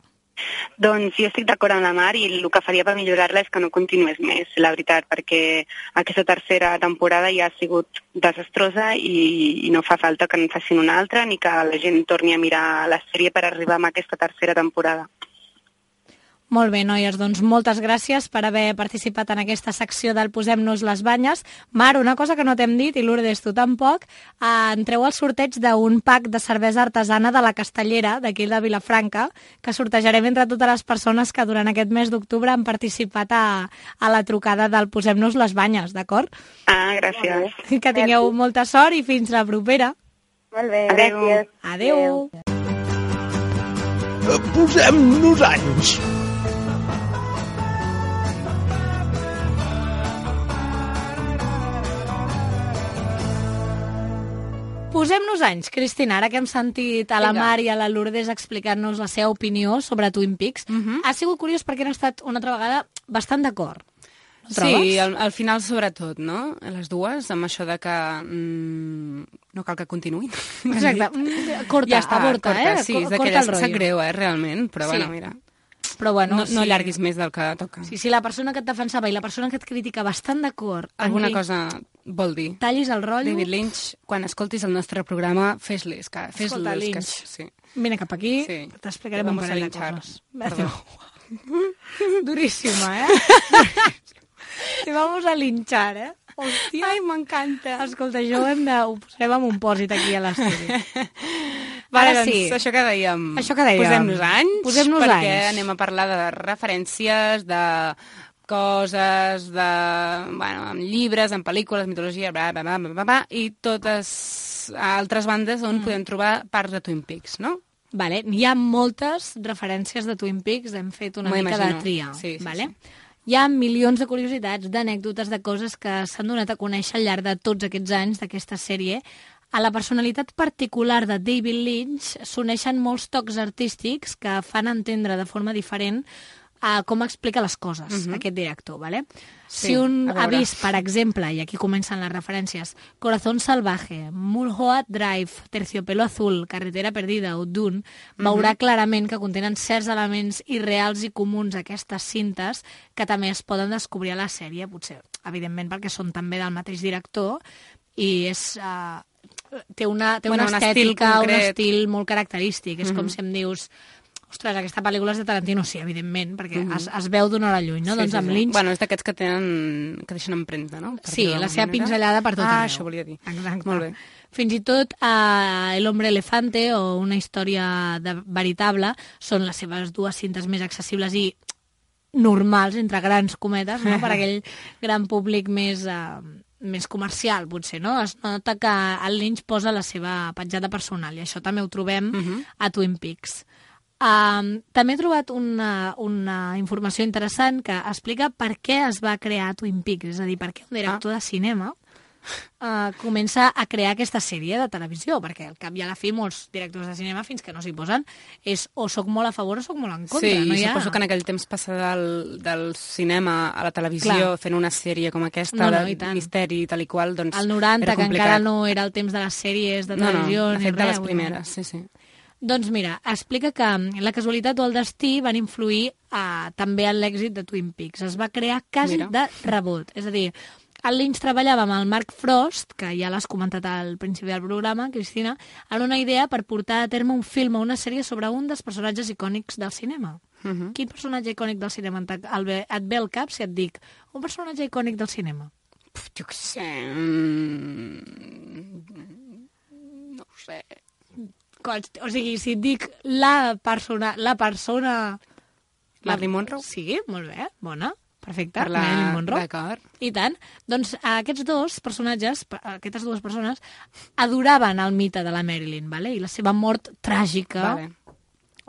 Doncs jo estic d'acord amb la Mar i el que faria per millorar-la és que no continués més, la veritat, perquè aquesta tercera temporada ja ha sigut desastrosa i, i no fa falta que en facin una altra ni que la gent torni a mirar la sèrie per arribar a aquesta tercera temporada. Molt bé, noies, doncs moltes gràcies per haver participat en aquesta secció del Posem-nos les banyes. Mar, una cosa que no t'hem dit, i Lourdes, tu tampoc, eh, entreu al sorteig d'un pack de cervesa artesana de la Castellera, d'aquí de Vilafranca, que sortejarem entre totes les persones que durant aquest mes d'octubre han participat a, a la trucada del Posem-nos les banyes, d'acord? Ah, gràcies. Que tingueu gràcies. Molta sort i fins la propera. Molt bé, Adeu. gràcies. Adeu. Adeu. Posem-nos anys. Posem-nos anys, Cristina, ara que hem sentit a la Mar i a la Lourdes explicant-nos la seva opinió sobre Twin Peaks, uh-huh. ha sigut curiós perquè han estat una altra vegada bastant d'acord. Sí, al, al final sobretot, no? Les dues, amb això de que mm, no cal que continuïn. Exacte, corta, ja està, aborta, corta, eh? Sí, és d'aquelles que sap greu, eh, realment, però sí. bueno, mira... Però bueno, no, sí. no allarguis més del que toca. Sí, sí, la persona que et defensava i la persona que et critica bastant d'acord... Alguna cosa vol dir. Tallis el rotllo... David Lynch, quan escoltis el nostre programa, fes-les, que fes-les. Escolta, Lynch, que... sí. vine cap aquí, sí. t'explicarem un parell de coses. Perdó. Duríssima, eh? Te vamos a linchar, eh? Hòstia. Ai, m'encanta. Escolta, això ho, hem de, ho posem amb un pòsit aquí a l'estudi. Vale, Ara doncs, sí. això que dèiem. Això que dèiem. Posem-nos anys, Posem-nos perquè anys. anem a parlar de referències, de coses, de, bueno, amb llibres, amb pel·lícules, mitologia, bla, bla, bla, bla, bla, i totes altres bandes on mm. podem trobar parts de Twin Peaks, no? Vale, hi ha moltes referències de Twin Peaks, hem fet una mica de tria. Sí, sí, vale? sí. Hi ha milions de curiositats, d'anècdotes, de coses que s'han donat a conèixer al llarg de tots aquests anys d'aquesta sèrie. A la personalitat particular de David Lynch s'uneixen molts tocs artístics que fan entendre de forma diferent a com explica les coses, uh-huh. aquest director. Vale? Sí, si un a ha veure. vist, per exemple, i aquí comencen les referències, Corazón Salvaje, Mulholland Drive, Terciopelo Azul, Carretera Perdida o Dune, uh-huh. veurà clarament que contenen certs elements irreals i comuns aquestes cintes que també es poden descobrir a la sèrie, potser, evidentment, perquè són també del mateix director, i és... Uh, té una, té Bueno, una un estil estètica, un concret. estil molt característic. És Mhm. com si em dius, ostres, aquesta pel·lícula és de Tarantino, sí, evidentment, perquè Mhm. es, es veu d'una hora lluny, no? Sí, Doncs sí, amb sí. Lynch... Bueno, és d'aquests que tenen, que deixen empremta, no? Per Sí, dir-ho la d'alguna seva manera. pinzellada per tot ah, arreu. això volia dir. Exacte. Molt bé. Fins i tot uh, El hombre elefante o Una història de veritable són les seves dues cintes més accessibles i normals, entre grans cometes, no? Per aquell gran públic més... Uh, més comercial, potser, no? Es nota que el Lynch posa la seva petjada personal i això també ho trobem uh-huh. a Twin Peaks. Um, també he trobat una, una informació interessant que explica per què es va crear Twin Peaks, és a dir, per què un director ah. de cinema uh, comença a crear aquesta sèrie de televisió, perquè al cap i a la fi molts directors de cinema, fins que no s'hi posen, és o soc molt a favor o soc molt en contra. Sí, no i hi ha... suposo que en aquell temps passar del, del cinema a la televisió Clar. fent una sèrie com aquesta, No, no, de i tant. misteri i tal i qual, doncs al noranta, era que complicat. encara no era el temps de les sèries de televisió, no, no, de ni fet de res. les vull dir. primeres, sí, sí. Doncs mira, explica que la casualitat o el destí van influir uh, també en l'èxit de Twin Peaks. Es va crear quasi Mira. de rebot. És a dir, el Lynch treballava amb el Mark Frost, que ja l'has comentat al principi del programa, Cristina, en una idea per portar a terme un film o una sèrie sobre un dels personatges icònics del cinema. Uh-huh. Quin personatge icònic del cinema et ve, et ve al cap si et dic un personatge icònic del cinema? Puf, jo què sé... Mm... No ho sé... O sigui, si et dic la persona... La persona... Marilyn Monroe? Sí, molt bé, bona. Perfecte, Per la- Marilyn Monroe. d'acord. I tant. Doncs aquests dos personatges, aquestes dues persones, adoraven el mite de la Marilyn, vale? I la seva mort tràgica, Vale.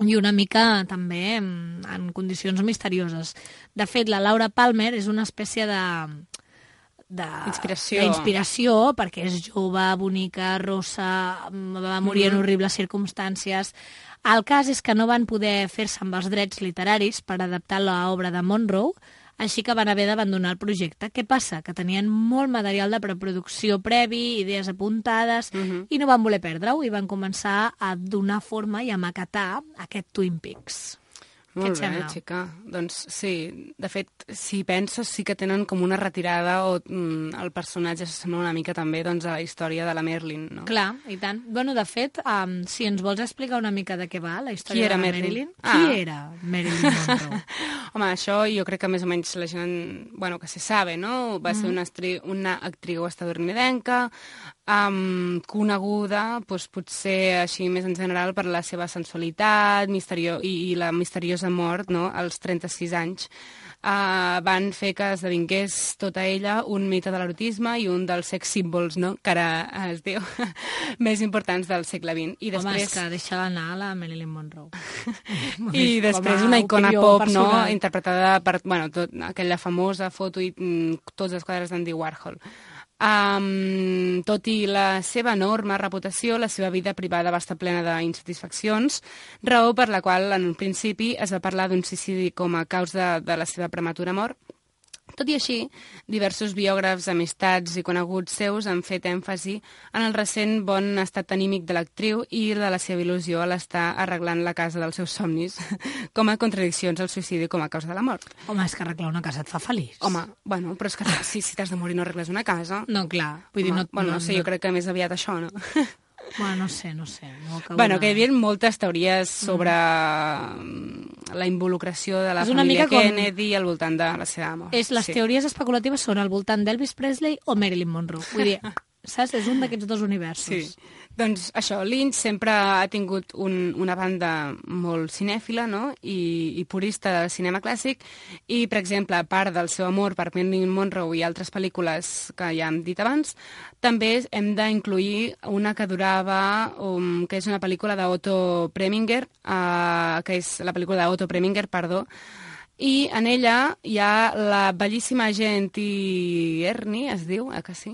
i una mica també en, en condicions misterioses. De fet, la Laura Palmer és una espècie de... de Inspiració. d'inspiració, perquè és jove, bonica, rossa, va morir en Mhm. horribles circumstàncies. El cas és que no van poder fer-se amb els drets literaris per adaptar l'obra de Monroe, així que van haver d'abandonar el projecte. Què passa? Que tenien molt material de preproducció previ, idees apuntades, Mhm. i no van voler perdre-ho, i van començar a donar forma i a maquetar aquest Twin Peaks. Què Molt et bé, sembla? xica. Doncs sí, de fet, si penses, sí que tenen com una retirada o mm, el personatge s'assembla una mica també doncs, a la història de la Marilyn, no? Clar, i tant. Bueno, de fet, um, si ens vols explicar una mica de què va la història Qui era de la Marilyn? Marilyn? Ah. Qui era Marilyn Monroe? Home, això jo crec que més o menys la gent, bueno, que se sabe, no? Va ser Mhm. una, estri una actriu estadounidenca, um, coneguda, doncs, potser així més en general, per la seva sensualitat misterio i, i la misteriosa mort, no?, als trenta-sis anys. Uh, van fer que esdevingués tota ella un mite de l'erotisme i un dels sex symbols, no?, que ara eh, es diu, més importants del segle vint. I Home, després... és que deixa anar la Marilyn Monroe. I després Com a una icona opinió pop, no?, personal. interpretada per, bueno, tot, aquella famosa foto i mm, tots els quadres d'Andy Warhol. Um, tot i la seva enorme reputació, la seva vida privada va estar plena d'insatisfaccions, raó per la qual en un principi es va parlar d'un suïcidi com a causa de la seva prematura mort. Tot i així, diversos biògrafs, amistats i coneguts seus han fet èmfasi en el recent bon estat anímic de l'actriu i de la seva il·lusió a l'estar arreglant la casa dels seus somnis, com a contradiccions al suïcidi com a causa de la mort. Home, és que arreglar una casa et fa feliç. Home, bueno, però és que si, si t'has de morir no arregles una casa... No, clar. Vull dir, Home, no, bueno, no, no, sé, no, jo crec que més aviat això, no? Bueno, no sé, no sé. No acabo Bueno, de- que hi havia moltes teories sobre mm. la involucració de la És una família mica com- Kennedy al voltant de la seva mort. És, les Sí. teories especulatives són al voltant d'Elvis Presley o Marilyn Monroe. Vull dir, saps? És un d'aquests dos universos. Sí. Doncs això, Lynch sempre ha tingut un, una banda molt cinèfila, no?, i, i purista del cinema clàssic, i, per exemple, a part del seu amor per Marilyn Monroe i altres pel·lícules que ja hem dit abans, també hem d'incluir una que durava, um, que és una pel·lícula d'Otto Preminger, uh, que és la pel·lícula d'Otto Preminger, perdó, i en ella hi ha la bellíssima agent Tierney, es diu, eh, que sí?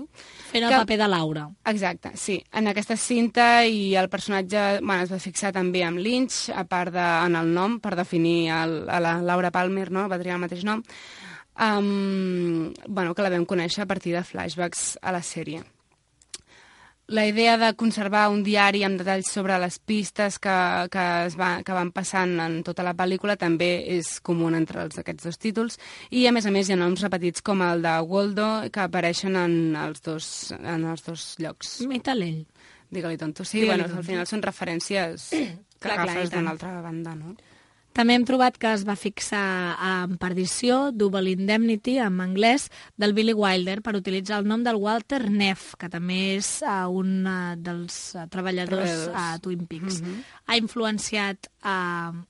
Fent el que... paper de Laura. Exacte, sí. En aquesta cinta, i el personatge bueno, es va fixar també amb Lynch, a part de, en el nom, per definir el, a la Laura Palmer, no? Va triar el mateix nom, um, bueno, que la vam conèixer a partir de flashbacks a la sèrie. La idea de conservar un diari amb detalls sobre les pistes que, que, es va, que van passant en tota la pel·lícula també és comú entre els, aquests dos títols, i a més a més hi ha noms repetits com el de Waldo que apareixen en els dos, en els dos llocs. Metalell. Digue-li tonto. Sí, bueno, al final són referències que clar, agafes d'una altra banda, no? També hem trobat que es va fixar en Perdició, Double Indemnity, en anglès, del Billy Wilder, per utilitzar el nom del Walter Neff, que també és uh, un uh, dels uh, treballadors a uh, Twin Peaks. Mm-hmm. Ha influenciat... Uh,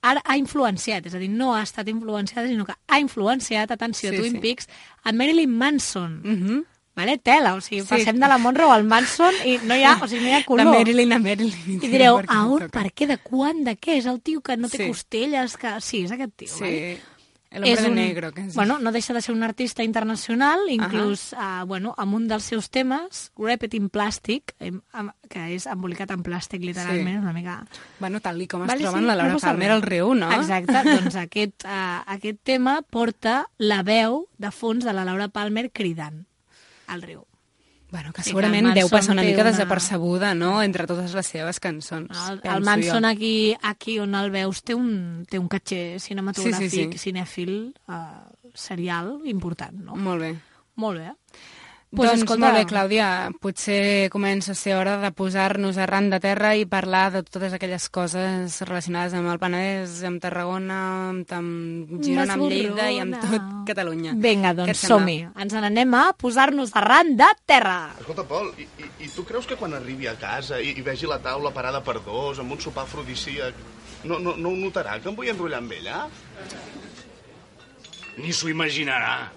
ara ha influenciat, és a dir, no ha estat influenciada, sinó que ha influenciat, atenció, sí, Twin sí. Peaks, a Marilyn Manson. Mm-hmm. Vale, tela, o sigui, sí. Passem de la Monroe al Manson i no hi ha, o sigui, no hi ha color. De Marilyn a Marilyn. I direu, a on, per què, de quan, de què? És el tio que no té sí. costelles, que... Sí, és aquest tio, sí. Vale? El hombre de un... negro. Que és... Bueno, no deixa de ser un artista internacional, inclús, uh -huh. uh, bueno, amb un dels seus temes, Wrapped in Plastic, que és embolicat en plàstic, literalment, sí. Una mica... Bueno, tal i com es vale, troben sí, la Laura Palmer al riu, no? Exacte, doncs aquest, uh, aquest tema porta la veu de fons de la Laura Palmer cridant al riu. Bueno, que segurament sí, que deu passar una mica una... desapercebuda, no?, entre totes les seves cançons. El, el Manson aquí, aquí on el veus té un, té un caché cinematogràfic, sí, sí, sí. cinèfil, uh, serial important, no? Molt bé. Molt bé. Pues doncs, escolta... molt bé, Clàudia, potser comença a ser hora de posar-nos arran de terra i parlar de totes aquelles coses relacionades amb el Penedès, amb Tarragona, amb, amb Girona, amb Lleida i amb tot Catalunya. Vinga, doncs som-hi. Ens n'anem a posar-nos arran de terra. Escolta, Pol, i, i, i tu creus que quan arribi a casa i, i vegi la taula parada per dos, amb un sopar afrodisíac, no, no, no ho notarà, que em vull enrotllar amb ella? Ni s'ho imaginarà.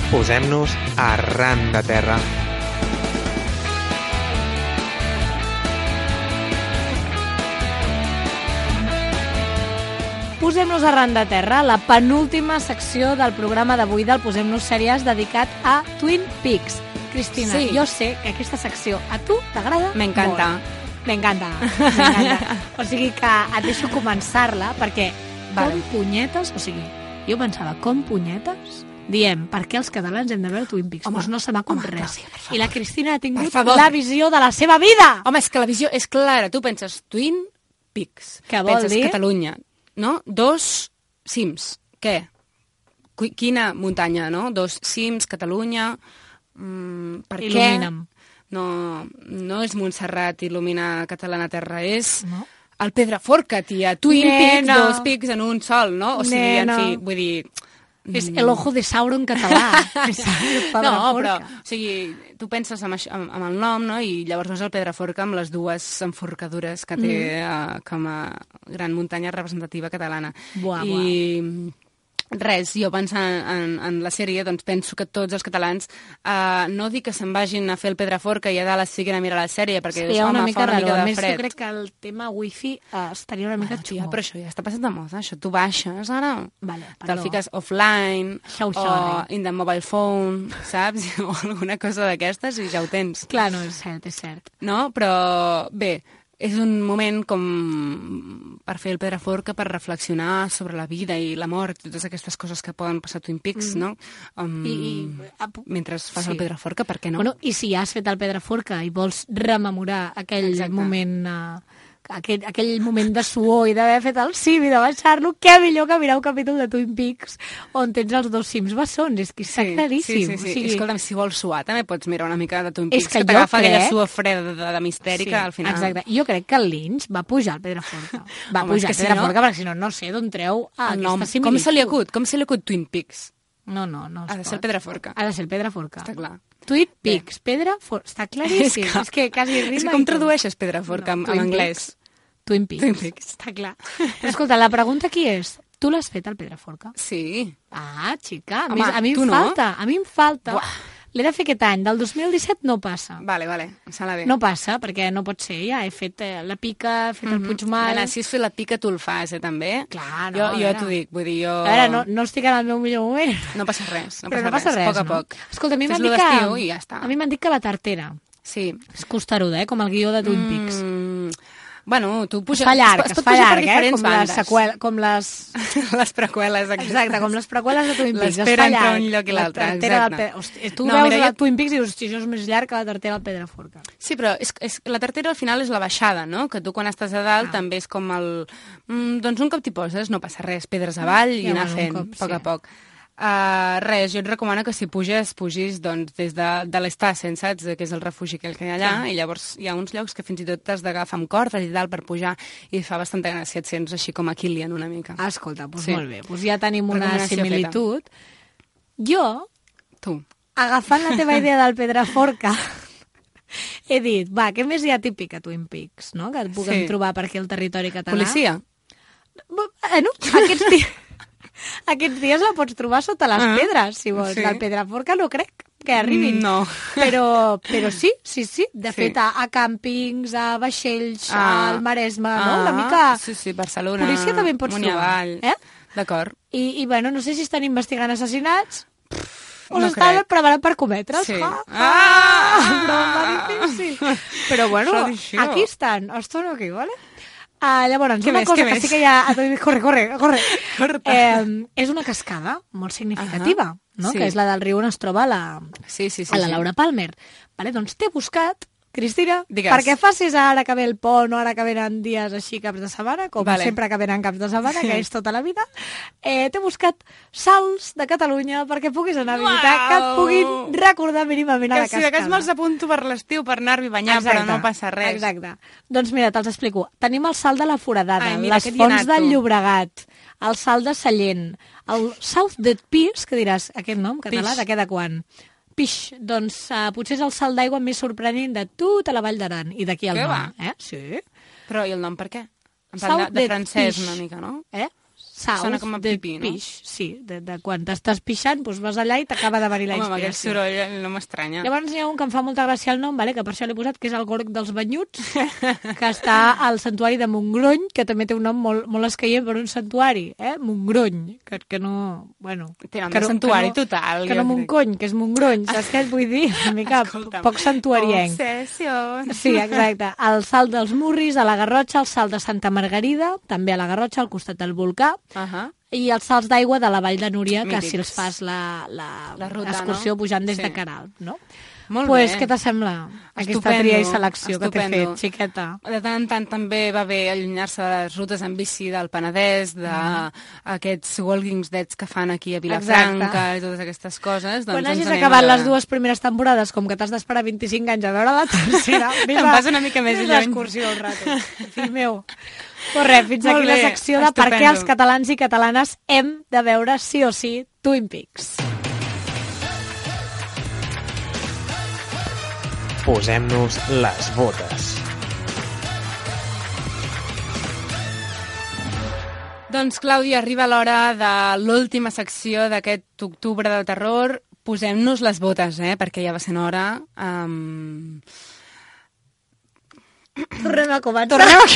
Posem-nos arran de terra. Posem-nos arran de terra, la penúltima secció del programa d'avui del Posem-nos Sèries dedicat a Twin Peaks. Cristina, sí. Jo sé que aquesta secció a tu t'agrada molt. M'encanta. M'encanta. M'encanta. O sigui que et deixo començar-la perquè vale. Com punyetes, o sigui, jo pensava, com punyetes... Diem, per què els catalans hem de veure Twin Peaks? Home, doncs no se m'ha acudit res. Clàudia, I la Cristina ha tingut la visió de la seva vida. Home, és que la visió és clara. Tu penses Twin Peaks. Què vol penses dir? Catalunya, no? Dos cims. Què? Quina muntanya, no? Dos cims, Catalunya... Mm, per Il·lumina'm. què? No, no és Montserrat il·lumina Catalana Terra, és... No? El Pedraforca, tia. Twin Nena. Peaks, dos pics en un sol, no? O sigui, Nena. en fi, vull dir... És el ojo de Sauron català. No, però, o sigui, tu penses amb, això, amb, amb el nom, no?, i llavors veus el Pedraforca amb les dues enforcadures que té mm. uh, com a gran muntanya representativa catalana. Buah, I... buah. Res, jo pensant en, en la sèrie, doncs penso que tots els catalans uh, no dic que se'n vagin a fer el Pedraforca i a dalt es fiquin a mirar la sèrie, perquè sí, home, una mica fa una raro. mica de A més, fred. jo crec que el tema wifi uh, estaria una mica bueno, xungo. Tia, però això ja està passat de moda, això. Tu baixes ara, vale, te'l fiques offline, How o sorry. in the mobile phone, saps? O alguna cosa d'aquestes i ja ho tens. Clar, no, és cert, és cert. No? Però, bé, és un moment com per fer el Pedraforca, per reflexionar sobre la vida i la mort, totes aquestes coses que poden passar a Twin Peaks, mm. no? Um, I, i, mentre fas sí. el Pedraforca, per què no? Bueno, i si has fet el Pedraforca i vols rememorar aquell Exacte. moment... Uh, aquell, aquell moment de suor i d'haver fet el cim i de baixar-lo, què millor que mirar un capítol de Twin Peaks on tens els dos cims bessons, és que està sí, claríssim. Sí, sí, sí. O sigui... Escolta'm, si vols suar també pots mirar una mica de Twin Peaks, que, que t'agafa crec... aquella suor freda de, de mistèrica sí, al final. Exacte, jo crec que el Lynch va pujar al Pedraforca. Va Home, pujar al Pedraforca, si no... perquè si no, no sé d'on treu aquesta similitud. Com se li acut? Com se li acut Twin Peaks? No, no, no es Ha de pot. ser el Pedraforca. Ha de ser el Pedraforca. Està clar. Twin Peaks, Pedraforca. Està claríssim. És que, és que quasi rima. És que i com tot. tradueixes Pedraforca No, en, en Twin anglès? Twin Peaks. Twin Peaks. Està clar. Però escolta, la pregunta aquí és, tu l'has fet al Pedraforca? Sí. Ah, xica, a, Home, mi, a mi tu em no? falta, a mi em falta. Buah. L'he de fer aquest any, del dos mil disset no passa. Vale, vale, em sembla bé. No passa, perquè no pot ser, ja he fet eh, la pica, he fet el Puigmal... Nena, si has fet la pica, tu el fas, eh, també? Clar, no, jo, a jo veure. t'ho dic, vull dir, jo... A veure, no, no estic en el meu millor moment. No passa res, no Però passa no passa res, res, poc a no? poc. Escolta, a mi m'han Fes-lo dit que... d'estiu i ja està. A mi m'han dit que la tartera. Sí. És costeruda, eh? Com el guió de Twin Peaks. Mm, bueno, tu puges... Es fa llarg, es es pot fa pujar per llarg, eh? diferents Com les, bandes. seqüel, com les... les preqüeles. Aquestes. Exacte, com les preqüeles de Twin Peaks. L'espera es fa entre llarg. un lloc i l'altre, La tartera exacte. del Pe- Hosti, tu No, veus mira, la jo- Twin Peaks i dius, hosti, això és més llarg que la tartera del Pedraforca. Sí, però és, és, la tartera al final és la baixada, no? Que tu quan estàs a dalt ah. també és com el... Mm, doncs un cop t'hi poses, no passa res, pedres avall i Ja, anar bueno, un fent, cop, a poc sí. a poc. Uh, res, jo et recomano que si puges, pugis doncs, des de, de l'Estassen, saps? Que és el refugi aquell que hi ha allà, Sí. i llavors hi ha uns llocs que fins i tot t'has d'agafar amb cordes i tal per pujar, i fa bastanta gràcia, et sents així com a Kilian una mica. Ah, escolta, doncs Sí. molt bé. Doncs ja tenim una Recomanació similitud. Jo, Tu. agafant la teva idea del Pedraforca, he dit, va, què més hi ha típic a Twin Peaks, no? Que et puguem Sí. trobar per aquí al territori català. Policia? Bueno, aquests dies, aquests dies la pots trobar sota les Ah, pedres, si vols. sí. Del Pedraforca no crec que arribin. No. Però, però sí, sí, sí. De Sí. fet, a, a càmpings, a vaixells, Ah. al Maresme, no? Ah, Una mica... Sí, sí, Barcelona, Policia també en pots amunt i trobar. avall. Eh? D'acord. I, I, bueno, no sé si estan investigant assassinats o no s'estan crec. preparant per cometre'ls. Sí. Ah, Ah! ah, broma difícil. Però, bueno, Tradició. aquí estan. Estan aquí, ¿vale? Uh, llavors, Què una més, cosa què que més? sí que hi ha... Corre, corre, corre. Corre. Eh, és una cascada molt significativa, Ahà. no? Sí. Que és la del riu on es troba la, Sí, sí, sí. a la sí. Laura Palmer. Vale, doncs t'he buscat, Cristina, Digues. perquè facis ara que ve el pont o ara que venen dies així caps de setmana, com Vale. sempre que venen caps de setmana, que és tota la vida, eh, t'he buscat salts de Catalunya perquè puguis anar a visitar, Uau! que et puguin recordar mínimament a Que la si de cas cascada. me'ls apunto per l'estiu per anar-hi a banyar, però no passa res. Exacte. Doncs mira, te'ls explico. Tenim el salt de la Foradada, Ai, mira, les aquest hi he fonts anat, del tu. Llobregat, el salt de Sallent, el South Dead Piece, que diràs, aquest nom català, Pix. de què de quan? Pix, doncs uh, potser és el salt d'aigua més sorprenent de tota la Vall d'Aran, i d'aquí el Què nom. va? Eh? Sí. Però i el nom per què? En South plan de, de Dead francès Piece. una mica, no? Eh? South Sona com a Dead pipí, no? Piece, sí, de, de quan t'estàs pixant, doncs vas allà i t'acaba de venir la Home, amb aquest inspiració. soroll eh, no m'estranya. Llavors hi ha un que em fa molta gràcia el nom, vale? Que per això l'he posat, que és el Gorg dels Banyuts, que està al santuari de Montgrony, que també té un nom molt, molt escaient per un santuari, eh? Montgrony, que, que no... Bueno, Té nom que de no, santuari que no, total, Que jo no crec. Montcony, que és Montgrony, saps què et vull dir? Una mica Escolta'm. poc santuarienc. Obsessió. Sí, exacte. El salt dels Murris, a la Garrotxa, el salt de Santa Margarida, també a la Garrotxa, al costat del volcà, Uh -huh. i els salts d'aigua de la Vall de Núria, que Mítics. si els fas la, la, La ruta, excursió no? pujant des Sí. de Caralt, no? Molt pues, bé. què t'assembla aquesta Estupendo, tria i selecció que t'he estupendo. fet, xiqueta? De tant en tant també va bé allunyar-se de les rutes en bici del Penedès, d'aquests Walking Deads que fan aquí a Vilafranca Exacte. i totes aquestes coses. Doncs Quan ens hagis anem acabat a les veure. dues primeres temporades, com que t'has d'esperar vint-i-cinc anys a veure la tercera, Te'n vas una mica més vés lluny. d'excursió un rato, fill meu. Pues res, fins Molt aquí la bé, secció de per què estupendo. els catalans i catalanes hem de veure sí o sí Twin Peaks. Posem-nos les botes. Doncs, Clàudia, arriba l'hora de l'última secció d'aquest octubre de terror. Posem-nos les botes, eh? Perquè ja va ser hora. Um... Tornem a començar. Tornem a...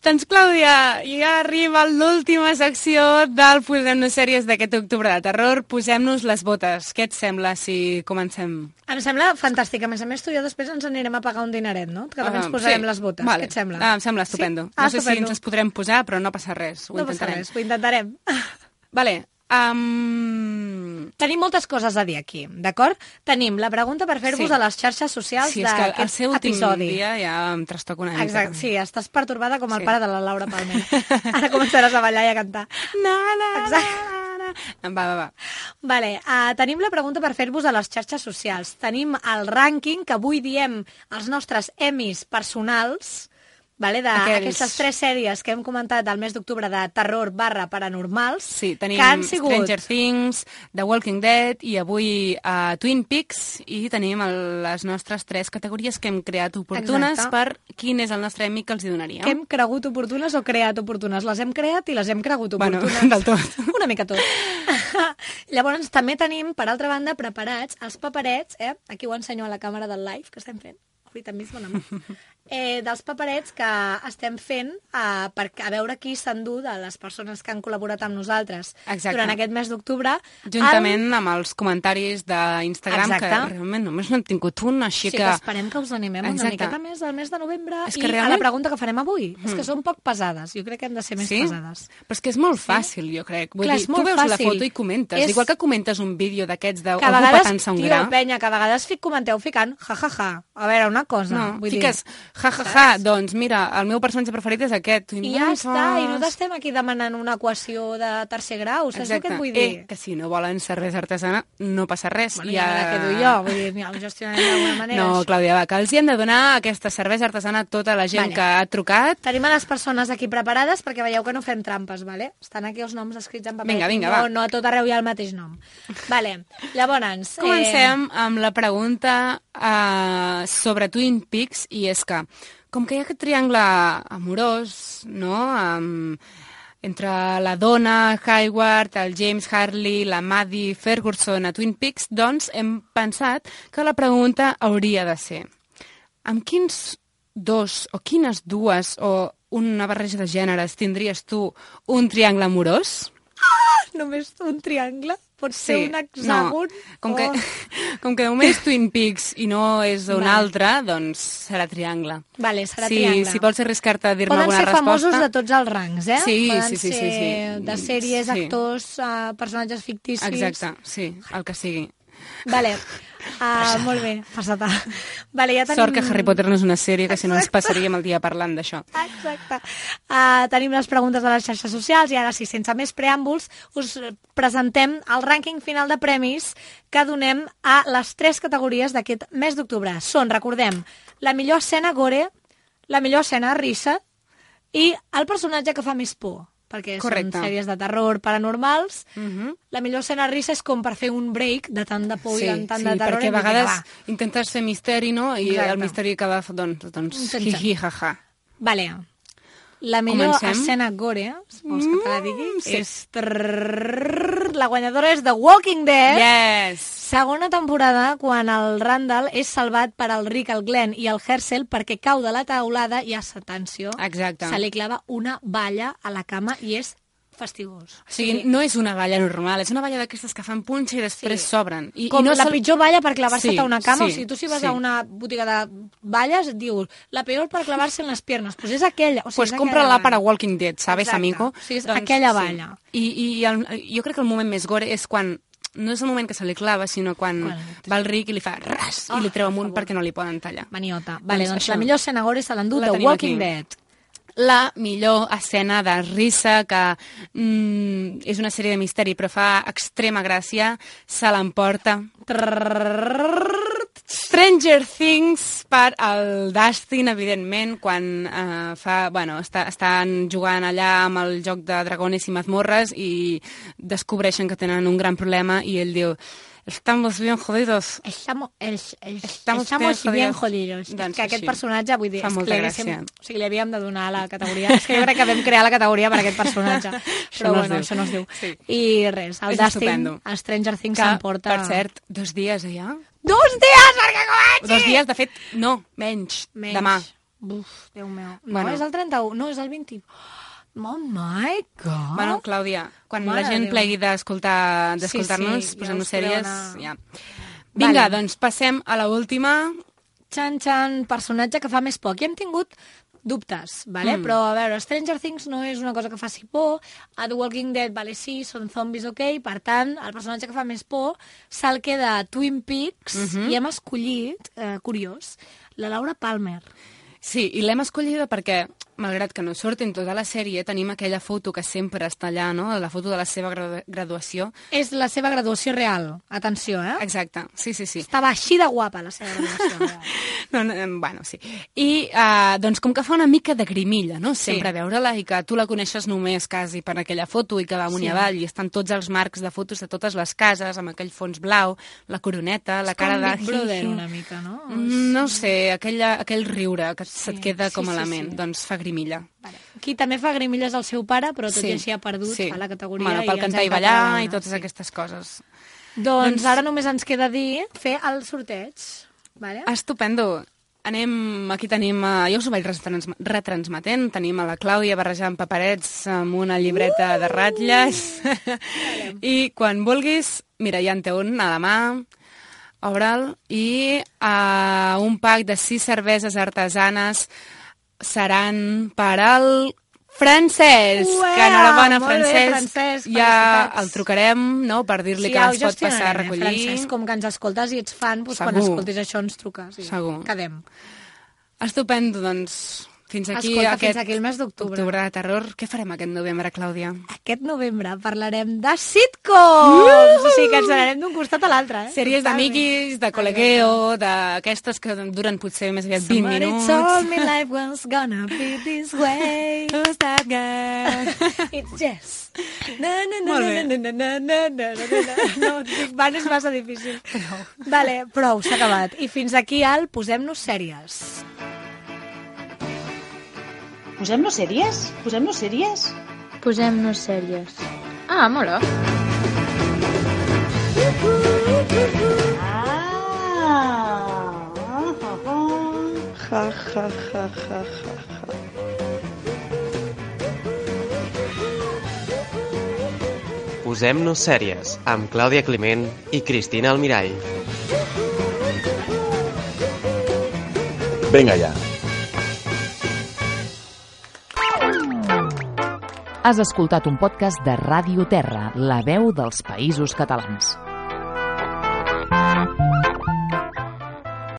Doncs, Clàudia, ja arriba l'última secció del Posem-nos sèries d'aquest octubre de terror. Posem-nos les botes. Què et sembla si comencem? Em sembla fantàstic. A més a més, tu i jo després ens anirem a pagar un dineret, no? Que també ens Ah, posarem sí. les botes. Vale. Què et sembla? Ah, em sembla estupendo. Sí? Ah, no sé estupendo. si ens les podrem posar, però no passa res. Ho no passa intentarem. res, ho intentarem. Vale. Um... Tenim moltes coses a dir aquí, d'acord? Tenim la pregunta per fer-vos Sí. a les xarxes socials Sí, és que el d'aquest seu últim episodi. dia ja em trastoca una mica. Exacte, sí, estàs pertorbada com el Sí. pare de la Laura Palmer. Ara començaràs a ballar i a cantar. Na, na, Exacte. Va, va, va. Vale, uh, tenim la pregunta per fer-vos a les xarxes socials. Tenim el rànquing, que avui diem els nostres Emmys personals, vale, d'aquestes tres sèries que hem comentat al mes d'octubre de terror barra paranormals, sí, tenim que han sigut Stranger Things, The Walking Dead i avui uh, Twin Peaks, i tenim el, les nostres tres categories que hem creat oportunes. Exacte. Per quin és el nostre amic que els hi donaríem. Que hem cregut oportunes o creat oportunes? Les hem creat i les hem cregut oportunes. Bueno, del tot. Una mica tot. Llavors també tenim, per altra banda, preparats els paperets, eh? Aquí ho ensenyo a la càmera del live que estem fent. Ahorita mismo, no? Eh, dels paperets que estem fent eh, per, a veure qui s'endú de les persones que han col·laborat amb nosaltres. Exacte. Durant aquest mes d'octubre. Juntament amb... amb els comentaris d'Instagram, que realment només n'hem tingut un, així sí, que... que esperem que us animem Exacte. Una miqueta més al mes de novembre és i realment... a la pregunta que farem avui. Mm. És que Mm. són poc pesades, jo crec que hem de ser més sí? pesades. Però és que és molt fàcil, sí? Jo crec. Vull Clar, dir, és molt tu veus fàcil. La foto i comentes. És... Igual que comentes un vídeo d'aquests d'algú petant-se un gra. Tio, penya, que a vegades fic, comenteu ficant ja, ja, ja. A veure, una cosa. No, vull fiques dir... ja, ja, ja, doncs mira, el meu personatge preferit és aquest. I ja està, i no t'estem aquí demanant una equació de tercer grau, saps el que et vull dir? Eh, que si no volen cervesa artesana, no passa res. Bueno, ja, ja me la quedo jo, vull dir, ja ho gestionarem d'alguna manera. No, Clàudia, va, que els hi hem de donar aquesta cervesa artesana a tota la gent vale. Que ha trucat. Tenim a les persones aquí preparades perquè veieu que no fem trampes, vale? Estan aquí els noms escrits en paper. Vinga, vinga, no, va. no a tot arreu hi ha el mateix nom. Vale, llavors... Comencem eh... amb la pregunta uh, sobre Twin Peaks, i és que, com que hi ha aquest triangle amorós, no?, um, entre la dona Hayward, el James Hartley, la Maddie Ferguson a Twin Peaks, doncs hem pensat que la pregunta hauria de ser: amb quins dos o quines dues o una barreja de gèneres tindries tu un triangle amorós? Ah, només un triangle? Pot ser sí, un hexàgon? No. Com, o... que, com que només Twin Peaks i no és un vale. Altre, doncs serà triangle. Vale, serà sí, triangle. Si vols arriscar-te a dir-me alguna resposta... Poden ser famosos de tots els rangs, eh? Sí, Poden sí, sí, ser sí, sí. de sèries, sí. actors, uh, personatges ficticis... Exacte, sí, el que sigui. Vale, uh, molt bé, passata. Vale, ja tenim... Sort que Harry Potter no és una sèrie, que si no ens passaríem el dia parlant d'això. Exacte. Uh, tenim les preguntes de les xarxes socials i ara sí, sense més preàmbuls, us presentem el rànquing final de premis que donem a les tres categories d'aquest mes d'octubre. Són, recordem, la millor escena gore, la millor escena risa i el personatge que fa més por, perquè correcte. Són sèries de terror paranormals. Uh -huh. La millor escena risa és com per fer un break de tant de por sí, i tant sí, de terror. Sí, perquè a vegades intentes fer misteri, no?, i exacte. El misteri acaba, doncs, doncs hi-hi, ha-ha. Vale. La millor Comencem. Escena gore, si vols que te la digui, mm, sí. és... Trrrr, la guanyadora és The Walking Dead. Yes! Segona temporada, quan el Randall és salvat per el Rick, el Glenn i el Herschel perquè cau de la taulada i, atenció, exacte. Se li clava una balla a la cama i és fastigós. O sigui, sí. No és una balla normal, és una balla d'aquestes que fan punxa i després s'obren. Sí. Com i no la sol... pitjor balla per clavar-se sí, a una cama. sí, o sigui, tu si vas sí. a una botiga de balles et dius la peor per clavar-se en les piernas. Pues és aquella. O sigui, pues compra-la para Walking Dead, ¿sabes, exacte. Amigo? O sigui, és doncs, aquella balla. Sí. I, i el, jo crec que el moment més gore és quan no és el moment que se li clava, sinó quan bueno, va el Rick i li fa ras oh, i li treu amunt perquè no li poden tallar. Maniota. Vale, doncs, doncs la millor escena gore se l'endú de Walking Dead. La millor escena de risa, que mm, és una sèrie de misteri però fa extrema gràcia, se l'emporta Stranger Things per el Dustin, evidentment, quan eh, fa, bueno, està, estan jugant allà amb el joc de dragones i mazmorres i descobreixen que tenen un gran problema i ell diu: estamos bien jodidos. Estamos, el, el, estamos, estamos bien, bien jodidos. Doncs que aquest així. Personatge, vull dir, fa és molta que gràcia. O sigui, li havíem de donar la categoria. És que jo crec que vam crear la categoria per aquest personatge. Però no bueno, això no es diu. Sí. I res, el és Dustin, estupendo. a Stranger Things que, s'emporta... per cert, dos dies ja. Dos dies, perquè comenci! Dos dies, de fet, no, menys, menys. demà. Uf, Déu meu. No, bueno. és el trenta-u, no, és el vint. Oh my God! Bueno, Clàudia, quan Mare la gent Déu. plegui d'escoltar-nos, sí, sí, posem-nos ja sèries, una... ja. Vinga, vale. Doncs passem a l'última. Xan, xan, personatge que fa més por. Aquí hem tingut dubtes, vale? Mm. Però, a veure, Stranger Things no és una cosa que faci por, a The Walking Dead, vale, sí, són zombis, ok, per tant, el personatge que fa més por se'l queda a Twin Peaks, mm -hmm. i hem escollit, eh, curiós, la Laura Palmer. Sí, i l'hem escollida perquè malgrat que no surtin tota la sèrie, tenim aquella foto que sempre està allà, no? La foto de la seva gradu graduació. És la seva graduació real. Atenció, eh? Exacte, sí, sí, sí. Estava així de guapa, la seva graduació real. no, no, bueno, sí. I, uh, doncs, com que fa una mica de grimilla, no? Sempre sí. veure-la i que tu la coneixes només quasi per aquella foto i que va amunt i avall i estan tots els marcs de fotos de totes les cases amb aquell fons blau, la coroneta, la cara de... És com Big Brother una mica, no? No sé, aquella, aquell riure que sí, se't queda com a sí, element, sí, sí. doncs fa grimilla. Vale. Qui també fa grimilles al seu pare, però tot sí. i així ha perdut, sí. fa la categoria... Bueno, pel cantar i ballar i totes sí. aquestes coses. Doncs, doncs ara només ens queda dir fer el sorteig. Vale? Estupendo. Anem, aquí tenim, jo us ho vaig retransmetent, tenim a la Clàudia barrejant paperets amb una llibreta uh! de ratlles. I quan vulguis, mira, ja en té un a la mà, obre'l, i uh, un pack de sis cerveses artesanes seran per al Francesc. Uea, que enhorabona, Francesc. Bé, Francesc. Ja el trucarem, no?, per dir-li sí, que ens pot passar a recollir. Francesc, com que ens escoltes i ets fan, doncs quan escoltis això ens truques. I Segur. Quedem. Estupendo, doncs... Fins aquí, Escolta, aquest fins aquí el mes d'octubre. Octubre de terror. Què farem aquest novembre, Clàudia? Aquest novembre parlarem de sitcoms! Uh! O sigui que ens anarem d'un costat a l'altre, eh? Sèries d'amiquis, de col·legueo, d'aquestes que duren potser més aviat vint minuts. Somebody told me life was gonna be this way. Who's that girl? It's Jess. No, no, no, no, no, no, no, no, no, no, no, Big Bang és massa difícil. Prou. Vale, prou, s'ha acabat. I fins aquí al Posem-nos sèries. Posem-nos sèries? Posem-nos sèries? Posem-nos sèries. Ah, mola. Ah! Ja, ja, ja, ja, ja. Posem-nos sèries amb Clàudia Climent i Cristina Almirall. Vinga ja. Has escoltat un podcast de Ràdio Terra, la veu dels Països Catalans.